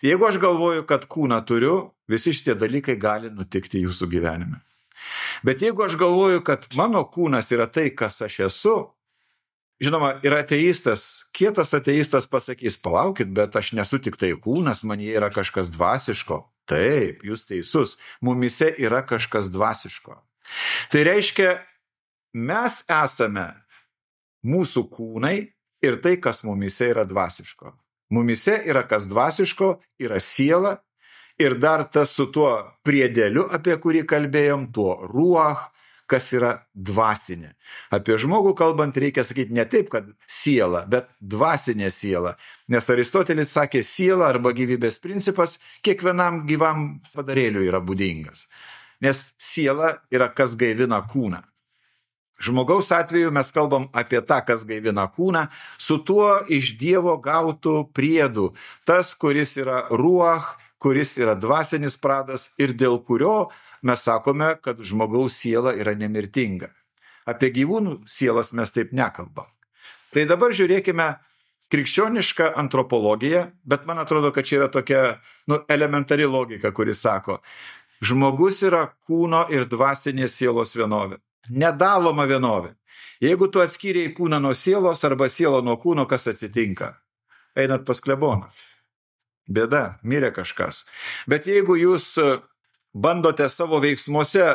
Jeigu aš galvoju, kad kūną turiu, visi šitie dalykai gali nutikti jūsų gyvenime. Bet jeigu aš galvoju, kad mano kūnas yra tai, kas aš esu, žinoma, yra ateistas, kietas ateistas pasakys, palaukit, bet aš nesu tik tai kūnas, man jie yra kažkas dvasiško. Taip, jūs teisus, mumise yra kažkas dvasiško. Tai reiškia, mes esame mūsų kūnai ir tai, kas mumise yra dvasiško. Mumise yra kas dvasiško, yra siela ir dar tas su tuo priedėliu, apie kurį kalbėjom, tuo ruach, kas yra dvasinė. Apie žmogų kalbant reikia sakyti ne taip, kad siela, bet dvasinė siela. Nes Aristotelis sakė, siela arba gyvybės principas kiekvienam gyvam padarėliui yra būdingas. Nes siela yra kas gaivina kūną. Žmogaus atveju mes kalbam apie tą, kas gaivina kūną, su tuo iš Dievo gautų priedų. Tas, kuris yra ruach, kuris yra dvasinis pradas ir dėl kurio mes sakome, kad žmogaus siela yra nemirtinga. Apie gyvūnų sielas mes taip nekalbam. Tai dabar žiūrėkime krikščionišką antropologiją, bet man atrodo, kad čia yra tokia elementari logika, kuri sako, žmogus yra kūno ir dvasinės sielos vienovė. Nedaloma vienovė. Jeigu tu atskyrei kūną nuo sielos arba sielą nuo kūno, kas atsitinka? Einat pas kleboną. Bėda, mirė kažkas. Bet jeigu jūs bandote savo veiksmuose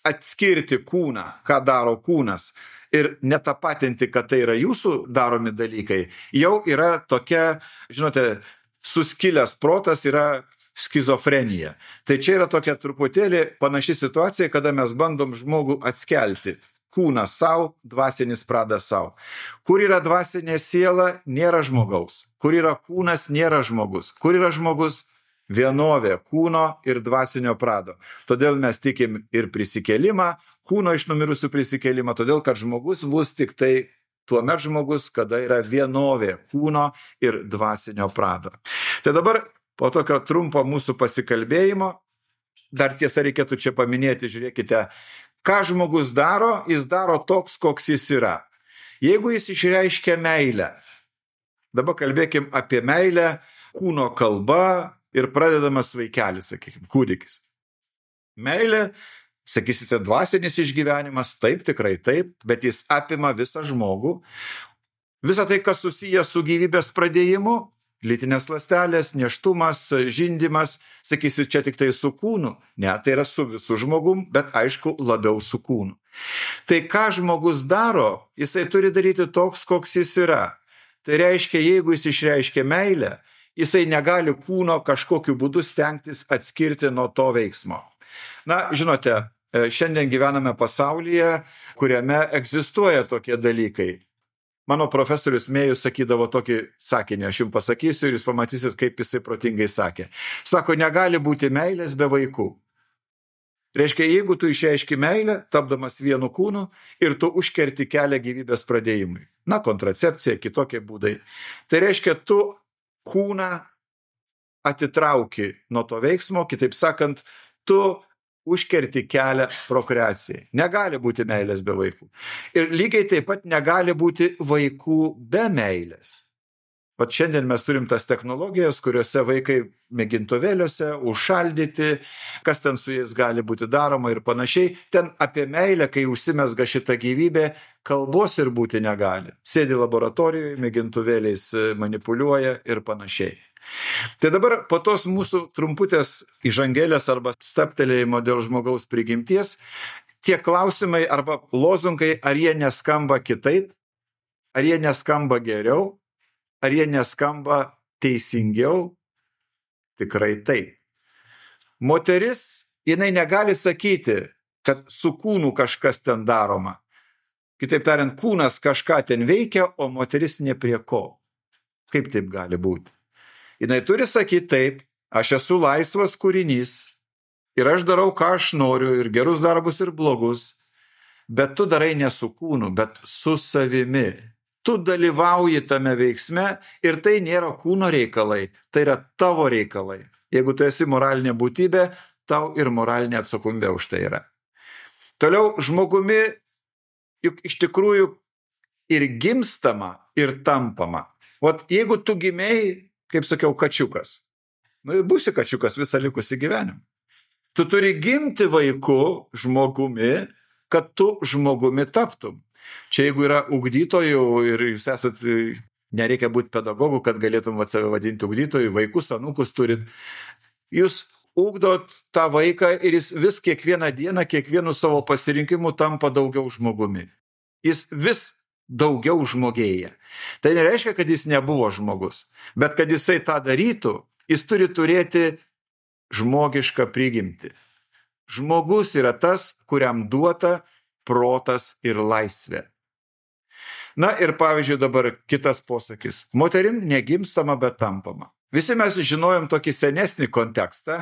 atskirti kūną, ką daro kūnas, ir netapatinti, kad tai yra jūsų daromi dalykai, jau yra tokia, žinote, suskilęs protas yra skizofrenija. Tai čia yra tokia truputėlį panaši situacija, kada mes bandom žmogų atskelti. Kūnas savo, dvasinis pradas savo. Kur yra dvasinė siela, nėra žmogaus. Kur yra kūnas, nėra žmogus. Kur yra žmogus, vienovė kūno ir dvasinio prado. Todėl mes tikim ir prisikėlimą, kūno iš numirusių prisikėlimą, todėl kad žmogus bus tik tai tuomet žmogus, kada yra vienovė kūno ir dvasinio prado. Tai dabar po tokio trumpo mūsų pasikalbėjimo, dar tiesa reikėtų čia paminėti, žiūrėkite, ką žmogus daro, jis daro toks, koks jis yra. Jeigu jis išreiškia meilę, dabar kalbėkim apie meilę kūno kalba ir pradedamas vaikelis, sakykime, kūdikis. Meilė, sakysite, dvasinis išgyvenimas, taip, tikrai taip, bet jis apima visą žmogų. Visą tai, kas susijęs su gyvybės pradėjimu, lytinės ląstelės, nėštumas, žindymas, sakysi, čia tik tai su kūnu. Ne, tai yra su visu žmogum, bet aišku, labiau su kūnu. Tai ką žmogus daro, jisai turi daryti toks, koks jis yra. Tai reiškia, jeigu jis išreiškia meilę, jisai negali kūno kažkokiu būdu stengtis atskirti nuo to veiksmo. Na, žinote, šiandien gyvename pasaulyje, kuriame egzistuoja tokie dalykai. Mano profesorius Mėjus sakydavo tokį sakinį, aš jums pasakysiu ir jūs pamatysit, kaip jisai protingai sakė. Sako, negali būti meilės be vaikų. Reiškia, jeigu tu išreiški meilę, tapdamas vienu kūnu, ir tu užkerti kelią gyvybės pradėjimui. Na, kontracepcija, kitokie būdai. Tai reiškia, tu kūną atitrauki nuo to veiksmo, kitaip sakant, tu užkerti kelią prokreacijai. Negali būti meilės be vaikų. Ir lygiai taip pat negali būti vaikų be meilės. Vat šiandien mes turim tas technologijas, kuriuose vaikai mėgintuvėliuose užšaldyti, kas ten su jais gali būti daroma ir panašiai. Ten apie meilę, kai užsimesga šitą gyvybę, kalbos ir būti negali. Sėdi laboratorijoje, mėgintuvėliais manipuliuoja ir panašiai. Tai dabar po tos mūsų trumputės įžangėlės arba staptelėjimo dėl žmogaus prigimties, tie klausimai arba lozungai, ar jie neskamba kitaip, ar jie neskamba geriau, ar jie neskamba teisingiau, tikrai taip. Moteris, jinai negali sakyti, kad su kūnu kažkas ten daroma. Kitaip tariant, kūnas kažką ten veikia, o moteris ne prie ko. Kaip taip gali būti? Jinai turi sakyti taip, aš esu laisvas kūrinys ir aš darau, ką aš noriu, ir gerus darbus, ir blogus, bet tu darai ne su kūnu, bet su savimi. Tu dalyvauji tame veiksme ir tai nėra kūno reikalai, tai yra tavo reikalai. Jeigu tu esi moralinė būtybė, tau ir moralinė atsakomybė už tai yra. Toliau žmogumi, juk iš tikrųjų ir gimstama, ir tampama. Vat jeigu tu gimėjai, kaip sakiau, kačiukas, būsi kačiukas visą likusį gyvenimą. Tu turi gimti vaiku, žmogumi, kad tu žmogumi taptum. Čia jeigu yra ugdytojų ir jūs esat, nereikia būti pedagogų, kad galėtum save vadinti ugdytojų, vaikus, anūkus turit. Jūs ugdot tą vaiką ir jis vis kiekvieną dieną, kiekvienu savo pasirinkimu tampa daugiau žmogumi. Jis vis daugiau žmogėja. Tai nereiškia, kad jis nebuvo žmogus, bet kad jisai tą darytų, jis turi turėti žmogišką prigimtį. Žmogus yra tas, kuriam duota protas ir laisvė. Na ir pavyzdžiui dabar kitas posakis. Moterim negimstama, bet tampama. Visi mes žinojom tokį senesnį kontekstą,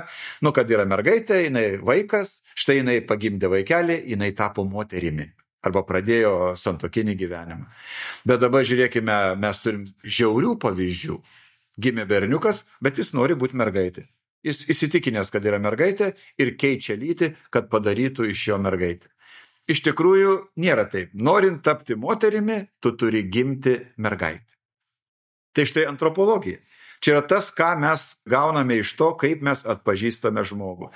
kad yra mergaitė, jinai vaikas, štai jinai pagimdė vaikelį, jinai tapo moterimi. Arba pradėjo santuokinį gyvenimą. Bet dabar žiūrėkime, mes turim žiaurių pavyzdžių. Gimė berniukas, bet jis nori būti mergaitė. Jis įsitikinęs, kad yra mergaitė ir keičia lytį, kad padarytų iš jo mergaitę. Iš tikrųjų, nėra taip. Norint tapti moterimi, tu turi gimti mergaitę. Tai štai antropologija. Čia yra tas, ką mes gauname iš to, kaip mes atpažįstame žmogų.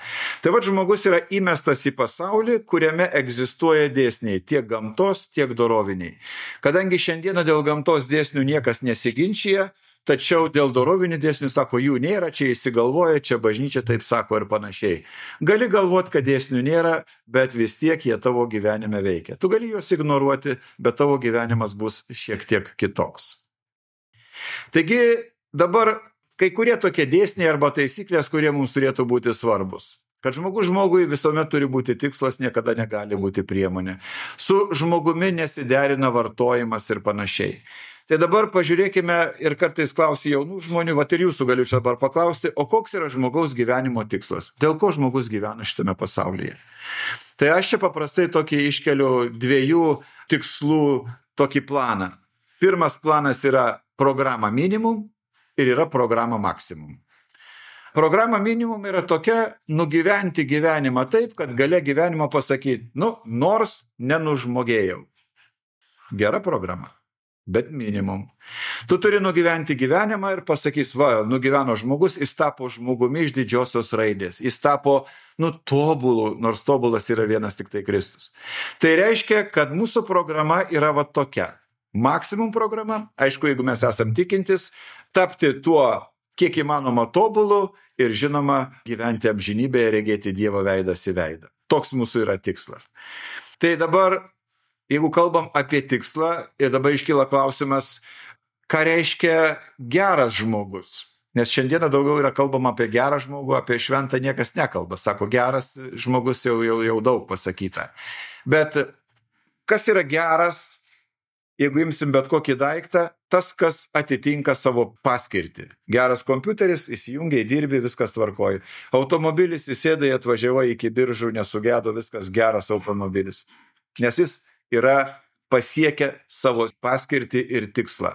Tai va, žmogus yra įmestas į pasaulį, kuriame egzistuoja dėsniai tiek gamtos, tiek doroviniai. Kadangi šiandieną dėl gamtos dėsnių niekas nesiginčia, tačiau dėl dorovinių dėsnių sako, jų nėra, čia įsigalvoja, čia bažnyčia taip sako ir panašiai. Gali galvoti, kad dėsnių nėra, bet vis tiek jie tavo gyvenime veikia. Tu gali juos ignoruoti, bet tavo gyvenimas bus šiek tiek kitoks. Taigi dabar kai kurie tokie dėsniai arba taisyklės, kurie mums turėtų būti svarbus. Kad žmogui visuomet turi būti tikslas, niekada negali būti priemonė. Su žmogumi nesiderina vartojimas ir panašiai. Tai dabar pažiūrėkime ir kartais klausiu jaunų žmonių, ir jūsų galiu čia dabar paklausti, o koks yra žmogaus gyvenimo tikslas? Dėl ko žmogus gyvena šitame pasaulyje? Tai aš čia paprastai tokį iškeliu 2 tikslų tokį planą. Pirmas planas yra programa minimum ir yra programa maksimum. Programa minimum yra tokia nugyventi gyvenimą taip, kad gale gyvenimo pasakyti, nors nenužmogėjau. Gera programa. Bet minimum. Tu turi nugyventi gyvenimą ir pasakys, nugyveno žmogus, jis tapo žmogumi iš didžiosios raidės. Jis tapo, tobulu, nors tobulas yra vienas tik tai Kristus. Tai reiškia, kad mūsų programa yra tokia. Maksimum programa, aišku, jeigu mes esam tikintis, tapti tuo, kiek įmanoma tobulu ir žinoma, gyventi amžinybėje, regėti Dievo veidas į veidą. Toks mūsų yra tikslas. Tai dabar jeigu kalbam apie tikslą, ir dabar iškyla klausimas, ką reiškia geras žmogus. Nes šiandieną daugiau yra kalbama apie gerą žmogų, apie šventą niekas nekalba. Sako, geras žmogus jau daug pasakyta. Bet kas yra geras, jeigu imsim bet kokį daiktą, tas, kas atitinka savo paskirtį. Geras kompiuteris, įsijungiai, dirbi, viskas tvarkoji. Automobilis įsėdai, atvažiavai iki Biržų, nesugedo, viskas geras automobilis. Nes jis yra pasiekę savo paskirtį ir tikslą.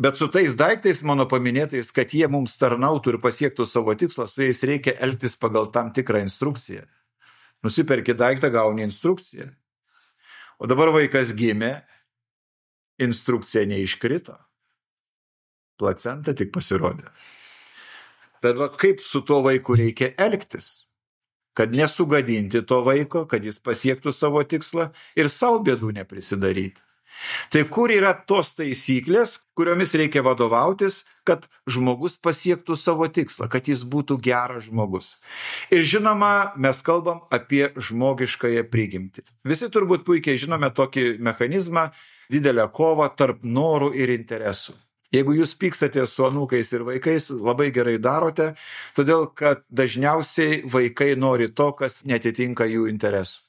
Bet su tais daiktais, mano paminėtais, kad jie mums tarnautų ir pasiektų savo tikslą, su jais reikia elgtis pagal tam tikrą instrukciją. Nusiperki daiktą, gauni instrukciją. O dabar vaikas gimė, instrukcija neiškrito. Placenta tik pasirodė. Tada kaip su tuo vaiku reikia elgtis? Kad nesugadinti to vaiko, kad jis pasiektų savo tikslą ir savo bėdų neprisidaryti. Tai kur yra tos taisyklės, kuriomis reikia vadovautis, kad žmogus pasiektų savo tikslą, kad jis būtų geras žmogus. Ir žinoma, mes kalbam apie žmogiškąją prigimtį. Visi turbūt puikiai žinome tokį mechanizmą, didelę kovą tarp norų ir interesų. Jeigu jūs pykstate su anūkais ir vaikais, labai gerai darote, todėl kad dažniausiai vaikai nori to, kas netitinka jų interesų.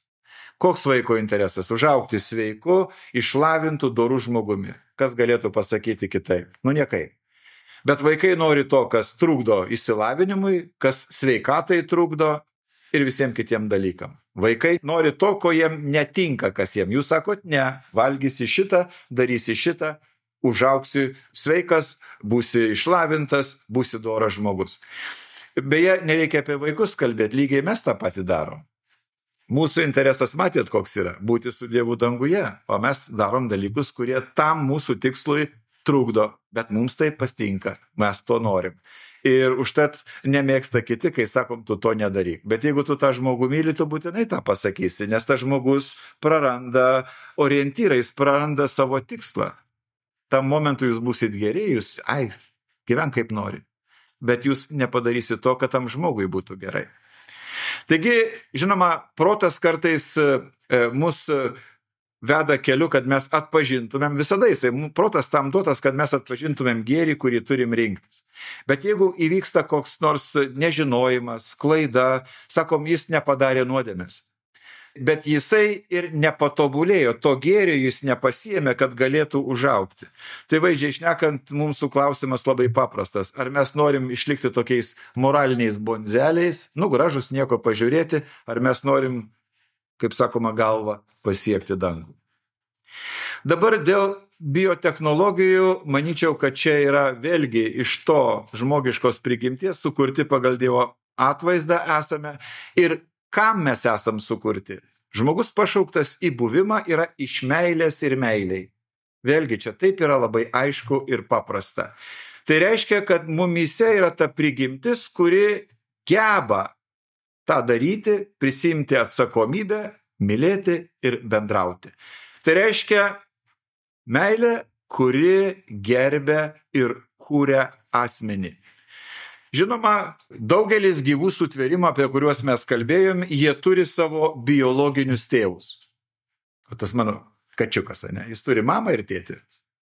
Koks vaiko interesas? Užaugti sveiku, išlavintų, dorų žmogumi. Kas galėtų pasakyti kitaip? Niekai. Bet vaikai nori to, kas trukdo išsilavinimui, kas sveikatai trukdo ir visiems kitiem dalykam. Vaikai nori to, ko jiem netinka, kas jiem. Jūs sakot, ne, valgysi šitą, darysi šitą, užaugsi sveikas, būsi išlavintas, būsi doras žmogus. Beje, nereikia apie vaikus kalbėti, lygiai mes tą patį darom. Mūsų interesas, matėt, koks yra - būti su Dievu danguje, o mes darom dalykus, kurie tam mūsų tikslui trukdo, bet mums tai patinka, mes to norim. Ir užtat nemėgsta kiti, kai sakom, tu to nedaryk. Bet jeigu tu tą žmogų myli, tu būtinai tą pasakysi, nes tas žmogus praranda orientyrą, jis praranda savo tikslą. Tam momentui jūs būsit geri, jūs, gyvenk kaip nori. Bet jūs nepadarysit to, kad tam žmogui būtų gerai. Taigi, žinoma, protas kartais mus veda keliu, kad mes atpažintumėm, visada jisai, protas tam duotas, kad mes atpažintumėm gėrį, kurį turim rinktis. Bet jeigu įvyksta koks nors nežinojimas, klaida, sakom, jis nepadarė nuodėmės. Bet jisai ir nepatobulėjo, to gėrio jis nepasiėmė, kad galėtų užaugti. Tai vaizdžiai šnekant, mūsų klausimas labai paprastas. Ar mes norim išlikti tokiais moraliniais bonzeliais, gražus nieko pažiūrėti, ar mes norim, kaip sakoma, galvą pasiekti dangų. Dabar dėl biotechnologijų, manyčiau, kad čia yra vėlgi iš to žmogiškos prigimties sukurti pagal Dievo atvaizdą esame ir kam mes esam sukurti. Žmogus pašauktas į buvimą yra iš meilės ir meiliai. Vėlgi čia taip yra labai aišku ir paprasta. Tai reiškia, kad mumyse yra ta prigimtis, kuri geba tą daryti, prisimti atsakomybę, mylėti ir bendrauti. Tai reiškia meilė, kuri gerbia ir kūria asmenį. Žinoma, daugelis gyvų sutvėrimų, apie kuriuos mes kalbėjom, jie turi savo biologinius tėvus. O tas mano kačiukas, ne? Jis turi mamą ir tėtį.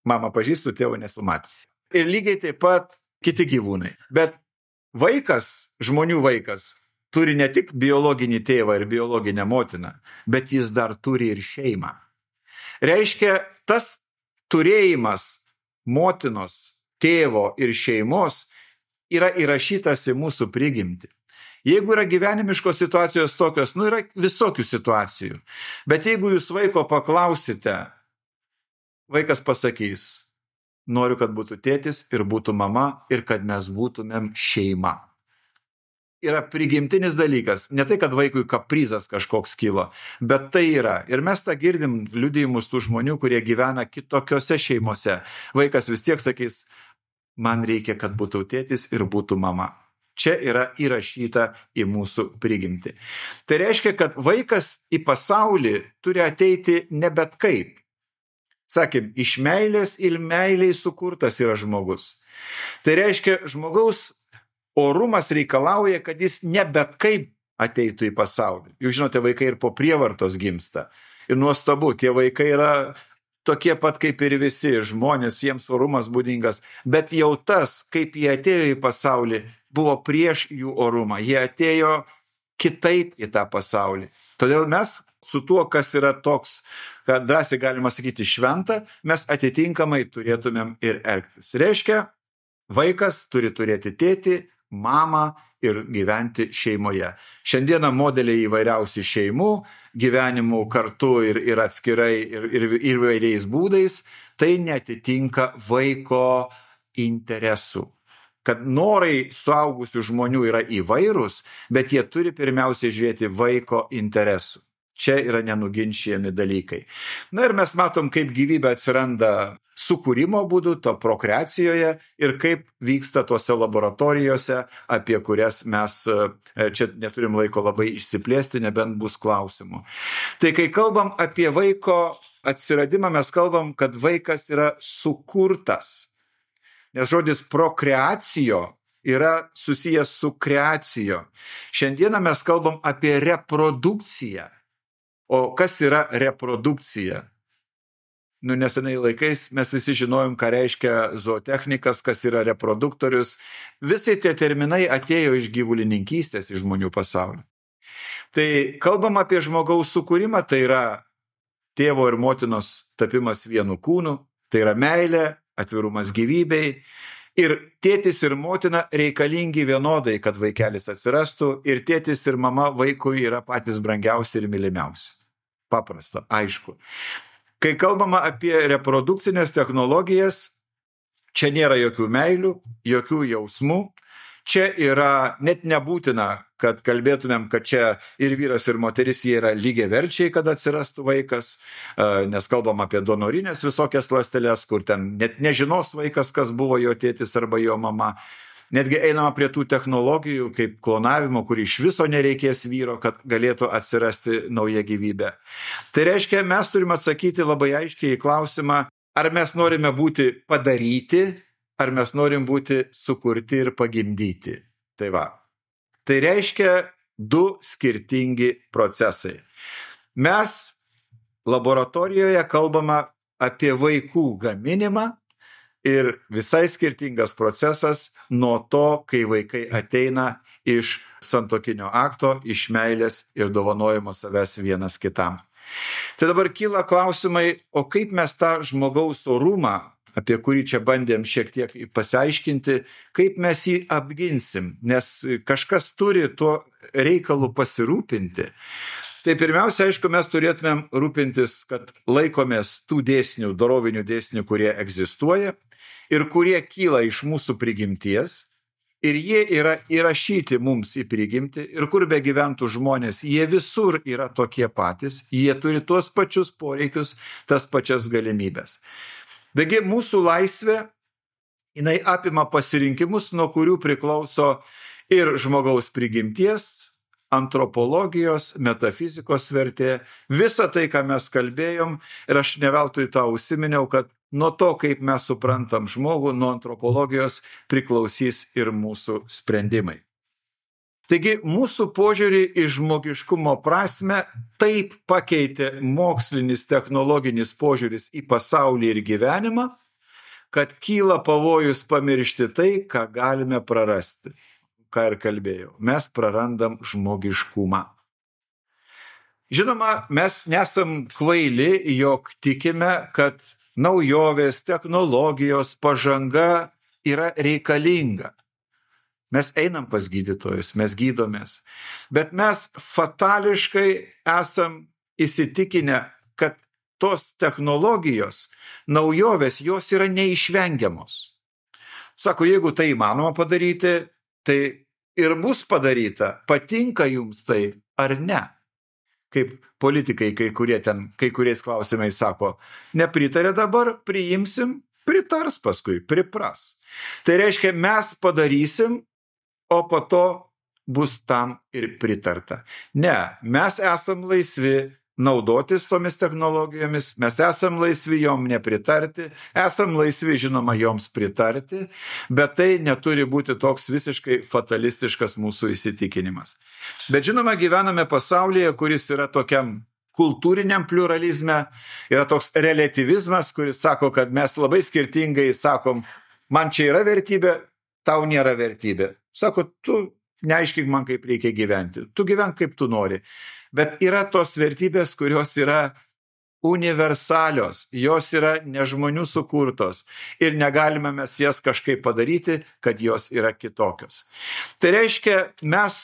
Mamą pažįstu, tėvo nesu matęs. Ir lygiai taip pat kiti gyvūnai. Bet vaikas, žmonių vaikas, turi ne tik biologinį tėvą ir biologinę motiną, bet jis dar turi ir šeimą. Reiškia, tas turėjimas motinos, tėvo ir šeimos yra įrašytas į mūsų prigimtį. Jeigu yra gyvenimiškos situacijos tokios, yra visokių situacijų. Bet jeigu jūs vaiko paklausite, vaikas pasakys, noriu, kad būtų tėtis ir būtų mama ir kad mes būtumėm šeima. Yra prigimtinis dalykas. Ne tai, kad vaikui kaprizas kažkoks kilo, bet tai yra. Ir mes tą girdim liudijimus tų žmonių, kurie gyvena kitokiose šeimose. Vaikas vis tiek sakys, man reikia, kad būtų tėtis ir būtų mama. Čia yra įrašyta į mūsų prigimtį. Tai reiškia, kad vaikas į pasaulį turi ateiti ne bet kaip. Sakėm, iš meilės ir meiliai sukurtas yra žmogus. Tai reiškia, žmogaus orumas reikalauja, kad jis ne bet kaip ateitų į pasaulį. Jūs žinote, vaikai ir po prievartos gimsta. Ir nuostabu, tie vaikai yra tokie pat kaip ir visi žmonės, jiems orumas būdingas, bet jau tas, kaip jie atėjo į pasaulį, buvo prieš jų orumą. Jie atėjo kitaip į tą pasaulį. Todėl mes su tuo, kas yra toks, kad drąsiai galima sakyti šventa, mes atitinkamai turėtumėm ir elgtis. Reiškia, vaikas turi turėti tėtį, mamą ir gyventi šeimoje. Šiandieną modeliai įvairiausių šeimų, gyvenimų kartu ir atskirai ir įvairiais būdais, tai netitinka vaiko interesų. Kad norai suaugusių žmonių yra įvairūs, bet jie turi pirmiausiai žiūrėti vaiko interesų. Čia yra nenuginčijami dalykai. Na ir mes matom, kaip gyvybė atsiranda sukūrimo būdu, to prokreacijoje ir kaip vyksta tose laboratorijose, apie kurias mes čia neturim laiko labai išsiplėsti, nebent bus klausimų. Tai kai kalbam apie vaiko atsiradimą, mes kalbam, kad vaikas yra sukurtas. Nes žodis prokreacijo yra susijęs su kreacijo. Šiandieną mes kalbam apie reprodukciją. O kas yra reprodukcija? Nesenai laikais mes visi žinojom, ką reiškia zootechnikas, kas yra reproduktorius. Visi tie terminai atėjo iš gyvulininkystės, iš žmonių pasaulio. Tai kalbam apie žmogaus sukūrimą, tai yra tėvo ir motinos tapimas vienu kūnu, tai yra meilė, atvirumas gyvybei. Ir tėtis ir motina reikalingi vienodai, kad vaikelis atsirastų, ir tėtis ir mama vaikui yra patys brangiausi ir mylimiausi. Paprasta, aišku. Kai kalbama apie reprodukcinės technologijas, čia nėra jokių meilių, jokių jausmų, čia yra net nebūtina, kad kalbėtumėm, kad čia ir vyras, ir moteris jie yra lygiaverčiai, kad atsirastų vaikas, nes kalbam apie donorinės visokias ląsteles, kur ten net nežinos vaikas, kas buvo jo tėtis arba jo mama. Netgi einama prie tų technologijų kaip klonavimo, kur iš viso nereikės vyro, kad galėtų atsirasti nauja gyvybė. Tai reiškia, mes turime atsakyti labai aiškiai į klausimą, ar mes norime būti padaryti, ar mes norim būti sukurti ir pagimdyti. Tai va. Tai reiškia du skirtingi procesai. Mes laboratorijoje kalbame apie vaikų gaminimą ir visai skirtingas procesas nuo to, kai vaikai ateina iš santuokinio akto, iš meilės ir dovanojimo savęs vienas kitam. Tai dabar kyla klausimai, o kaip mes tą žmogaus orumą, apie kurį čia bandėm šiek tiek pasiaiškinti, kaip mes jį apginsim, nes kažkas turi tuo reikalu pasirūpinti. Tai pirmiausia, aišku, mes turėtumėm rūpintis, kad laikomės tų dėsnių, dorovinių dėsnių, kurie egzistuoja ir kurie kyla iš mūsų prigimties, ir jie yra įrašyti mums į prigimtį, ir kur be gyventų žmonės, jie visur yra tokie patys, jie turi tuos pačius poreikius, tas pačias galimybės. Taigi mūsų laisvė, jinai apima pasirinkimus, nuo kurių priklauso ir žmogaus prigimties, antropologijos, metafizikos vertė, visa tai, ką mes kalbėjom, ir aš ne veltui tą užsiminiau, kad nuo to, kaip mes suprantam žmogų, nuo antropologijos priklausys ir mūsų sprendimai. Taigi mūsų požiūrį į žmogiškumo prasme taip pakeitė mokslinis technologinis požiūris į pasaulį ir gyvenimą, kad kyla pavojus pamiršti tai, ką galime prarasti. Ką ir kalbėjau, mes prarandam žmogiškumą. Žinoma, mes nesam kvaili, jog tikime, kad naujovės, technologijos, pažanga yra reikalinga. Mes einam pas gydytojus, mes gydomės, bet mes fatališkai esam įsitikinę, kad tos technologijos, naujovės, jos yra neišvengiamos. Sako, jeigu tai įmanoma padaryti, tai ir bus padaryta, patinka jums tai ar ne. Kaip politikai kai kuriais klausimais sako, nepritarė dabar, priimsim, pritars paskui, pripras. Tai reiškia, mes padarysim, o po to bus tam ir pritarta. Ne, mes esam laisvi naudotis tomis technologijomis, mes esam laisvi jom nepritarti, esam laisvi, žinoma, joms pritarti, bet tai neturi būti toks visiškai fatalistiškas mūsų įsitikinimas. Bet žinoma, gyvename pasaulyje, kuris yra tokiam kultūriniam pluralizme, yra toks relativizmas, kuris sako, kad mes labai skirtingai sakom, man čia yra vertybė, tau nėra vertybė. Sako, tu neaiškink man, kaip reikia gyventi, tu gyvenk kaip tu nori. Bet yra tos vertybės, kurios yra universalios, jos yra ne žmonių sukurtos ir negalime mes jas kažkaip padaryti, kad jos yra kitokios. Tai reiškia, mes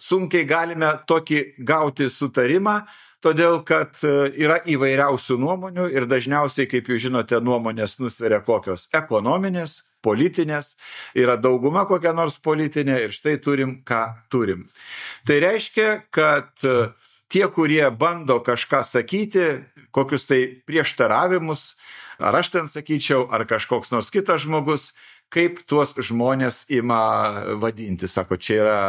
sunkiai galime tokį gauti sutarimą, todėl kad yra įvairiausių nuomonių ir dažniausiai, kaip jūs žinote, nuomonės nusveria kokios ekonominės, politinės, yra dauguma kokia nors politinė ir štai turim, ką turim. Tai reiškia, kad tie, kurie bando kažką sakyti, kokius tai prieštaravimus, ar aš ten sakyčiau, ar kažkoks nors kitas žmogus, kaip tuos žmonės ima vadinti. Sako, čia yra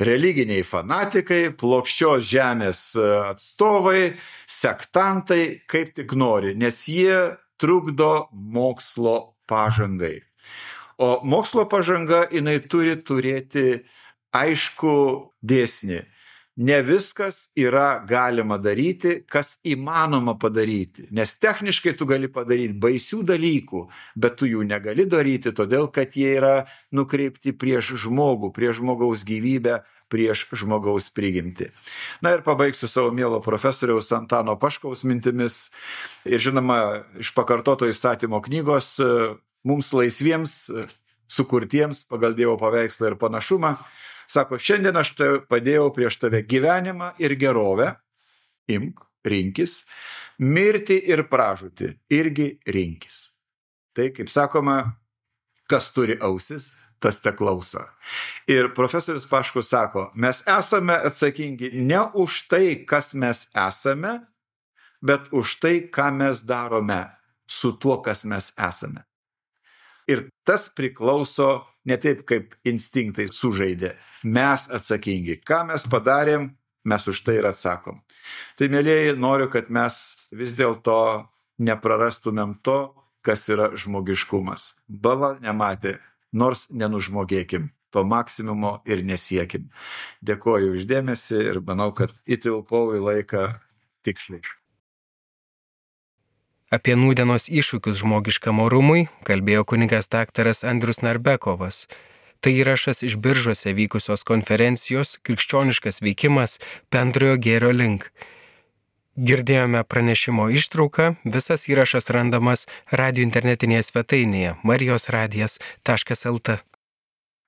religiniai fanatikai, plokščios žemės atstovai, sektantai, kaip tik nori, nes jie trukdo mokslo pažangai. O mokslo pažanga, jinai turi turėti aišku dėsnį. Ne viskas yra galima daryti, kas įmanoma padaryti. Nes techniškai tu gali padaryti baisių dalykų, bet tu jų negali daryti, todėl kad jie yra nukreipti prieš žmogų, prieš žmogaus gyvybę, prieš žmogaus prigimtį. Na ir pabaigsiu savo mielo profesoriaus Antano Paškaus mintimis. Ir žinoma, iš pakartoto įstatymo knygos mums laisviems, sukurtiems pagal Dievo paveikslą ir panašumą, sako, šiandien aš padėjau prieš tave gyvenimą ir gerovę, imk, rinkis, mirti ir pražūtį, irgi rinkis. Tai, kaip sakoma, kas turi ausis, tas te klauso. Ir profesorius Paškus sako, mes esame atsakingi ne už tai, kas mes esame, bet už tai, ką mes darome su tuo, kas mes esame. Ir tas priklauso ne taip, kaip instinktai sužaidė. Mes atsakingi. Ką mes padarėm, mes už tai ir atsakom. Tai, mėlieji, noriu, kad mes vis dėlto neprarastumėm to, kas yra žmogiškumas. Bala nematė, nors nenužmogėkim. To maksimumo ir nesiekim. Dėkoju už dėmesį ir manau, kad įtilpau į laiką tiksliai. Apie nūdienos iššūkius žmogiškam orumui kalbėjo kunigas daktaras Andrius Narbekovas. Tai įrašas iš Biržuose vykusios konferencijos Krikščioniškas veikimas bendrojo gėrio link. Girdėjome pranešimo ištrauką, visas įrašas randamas radio internetinėje svetainėje marijosradijas.lt.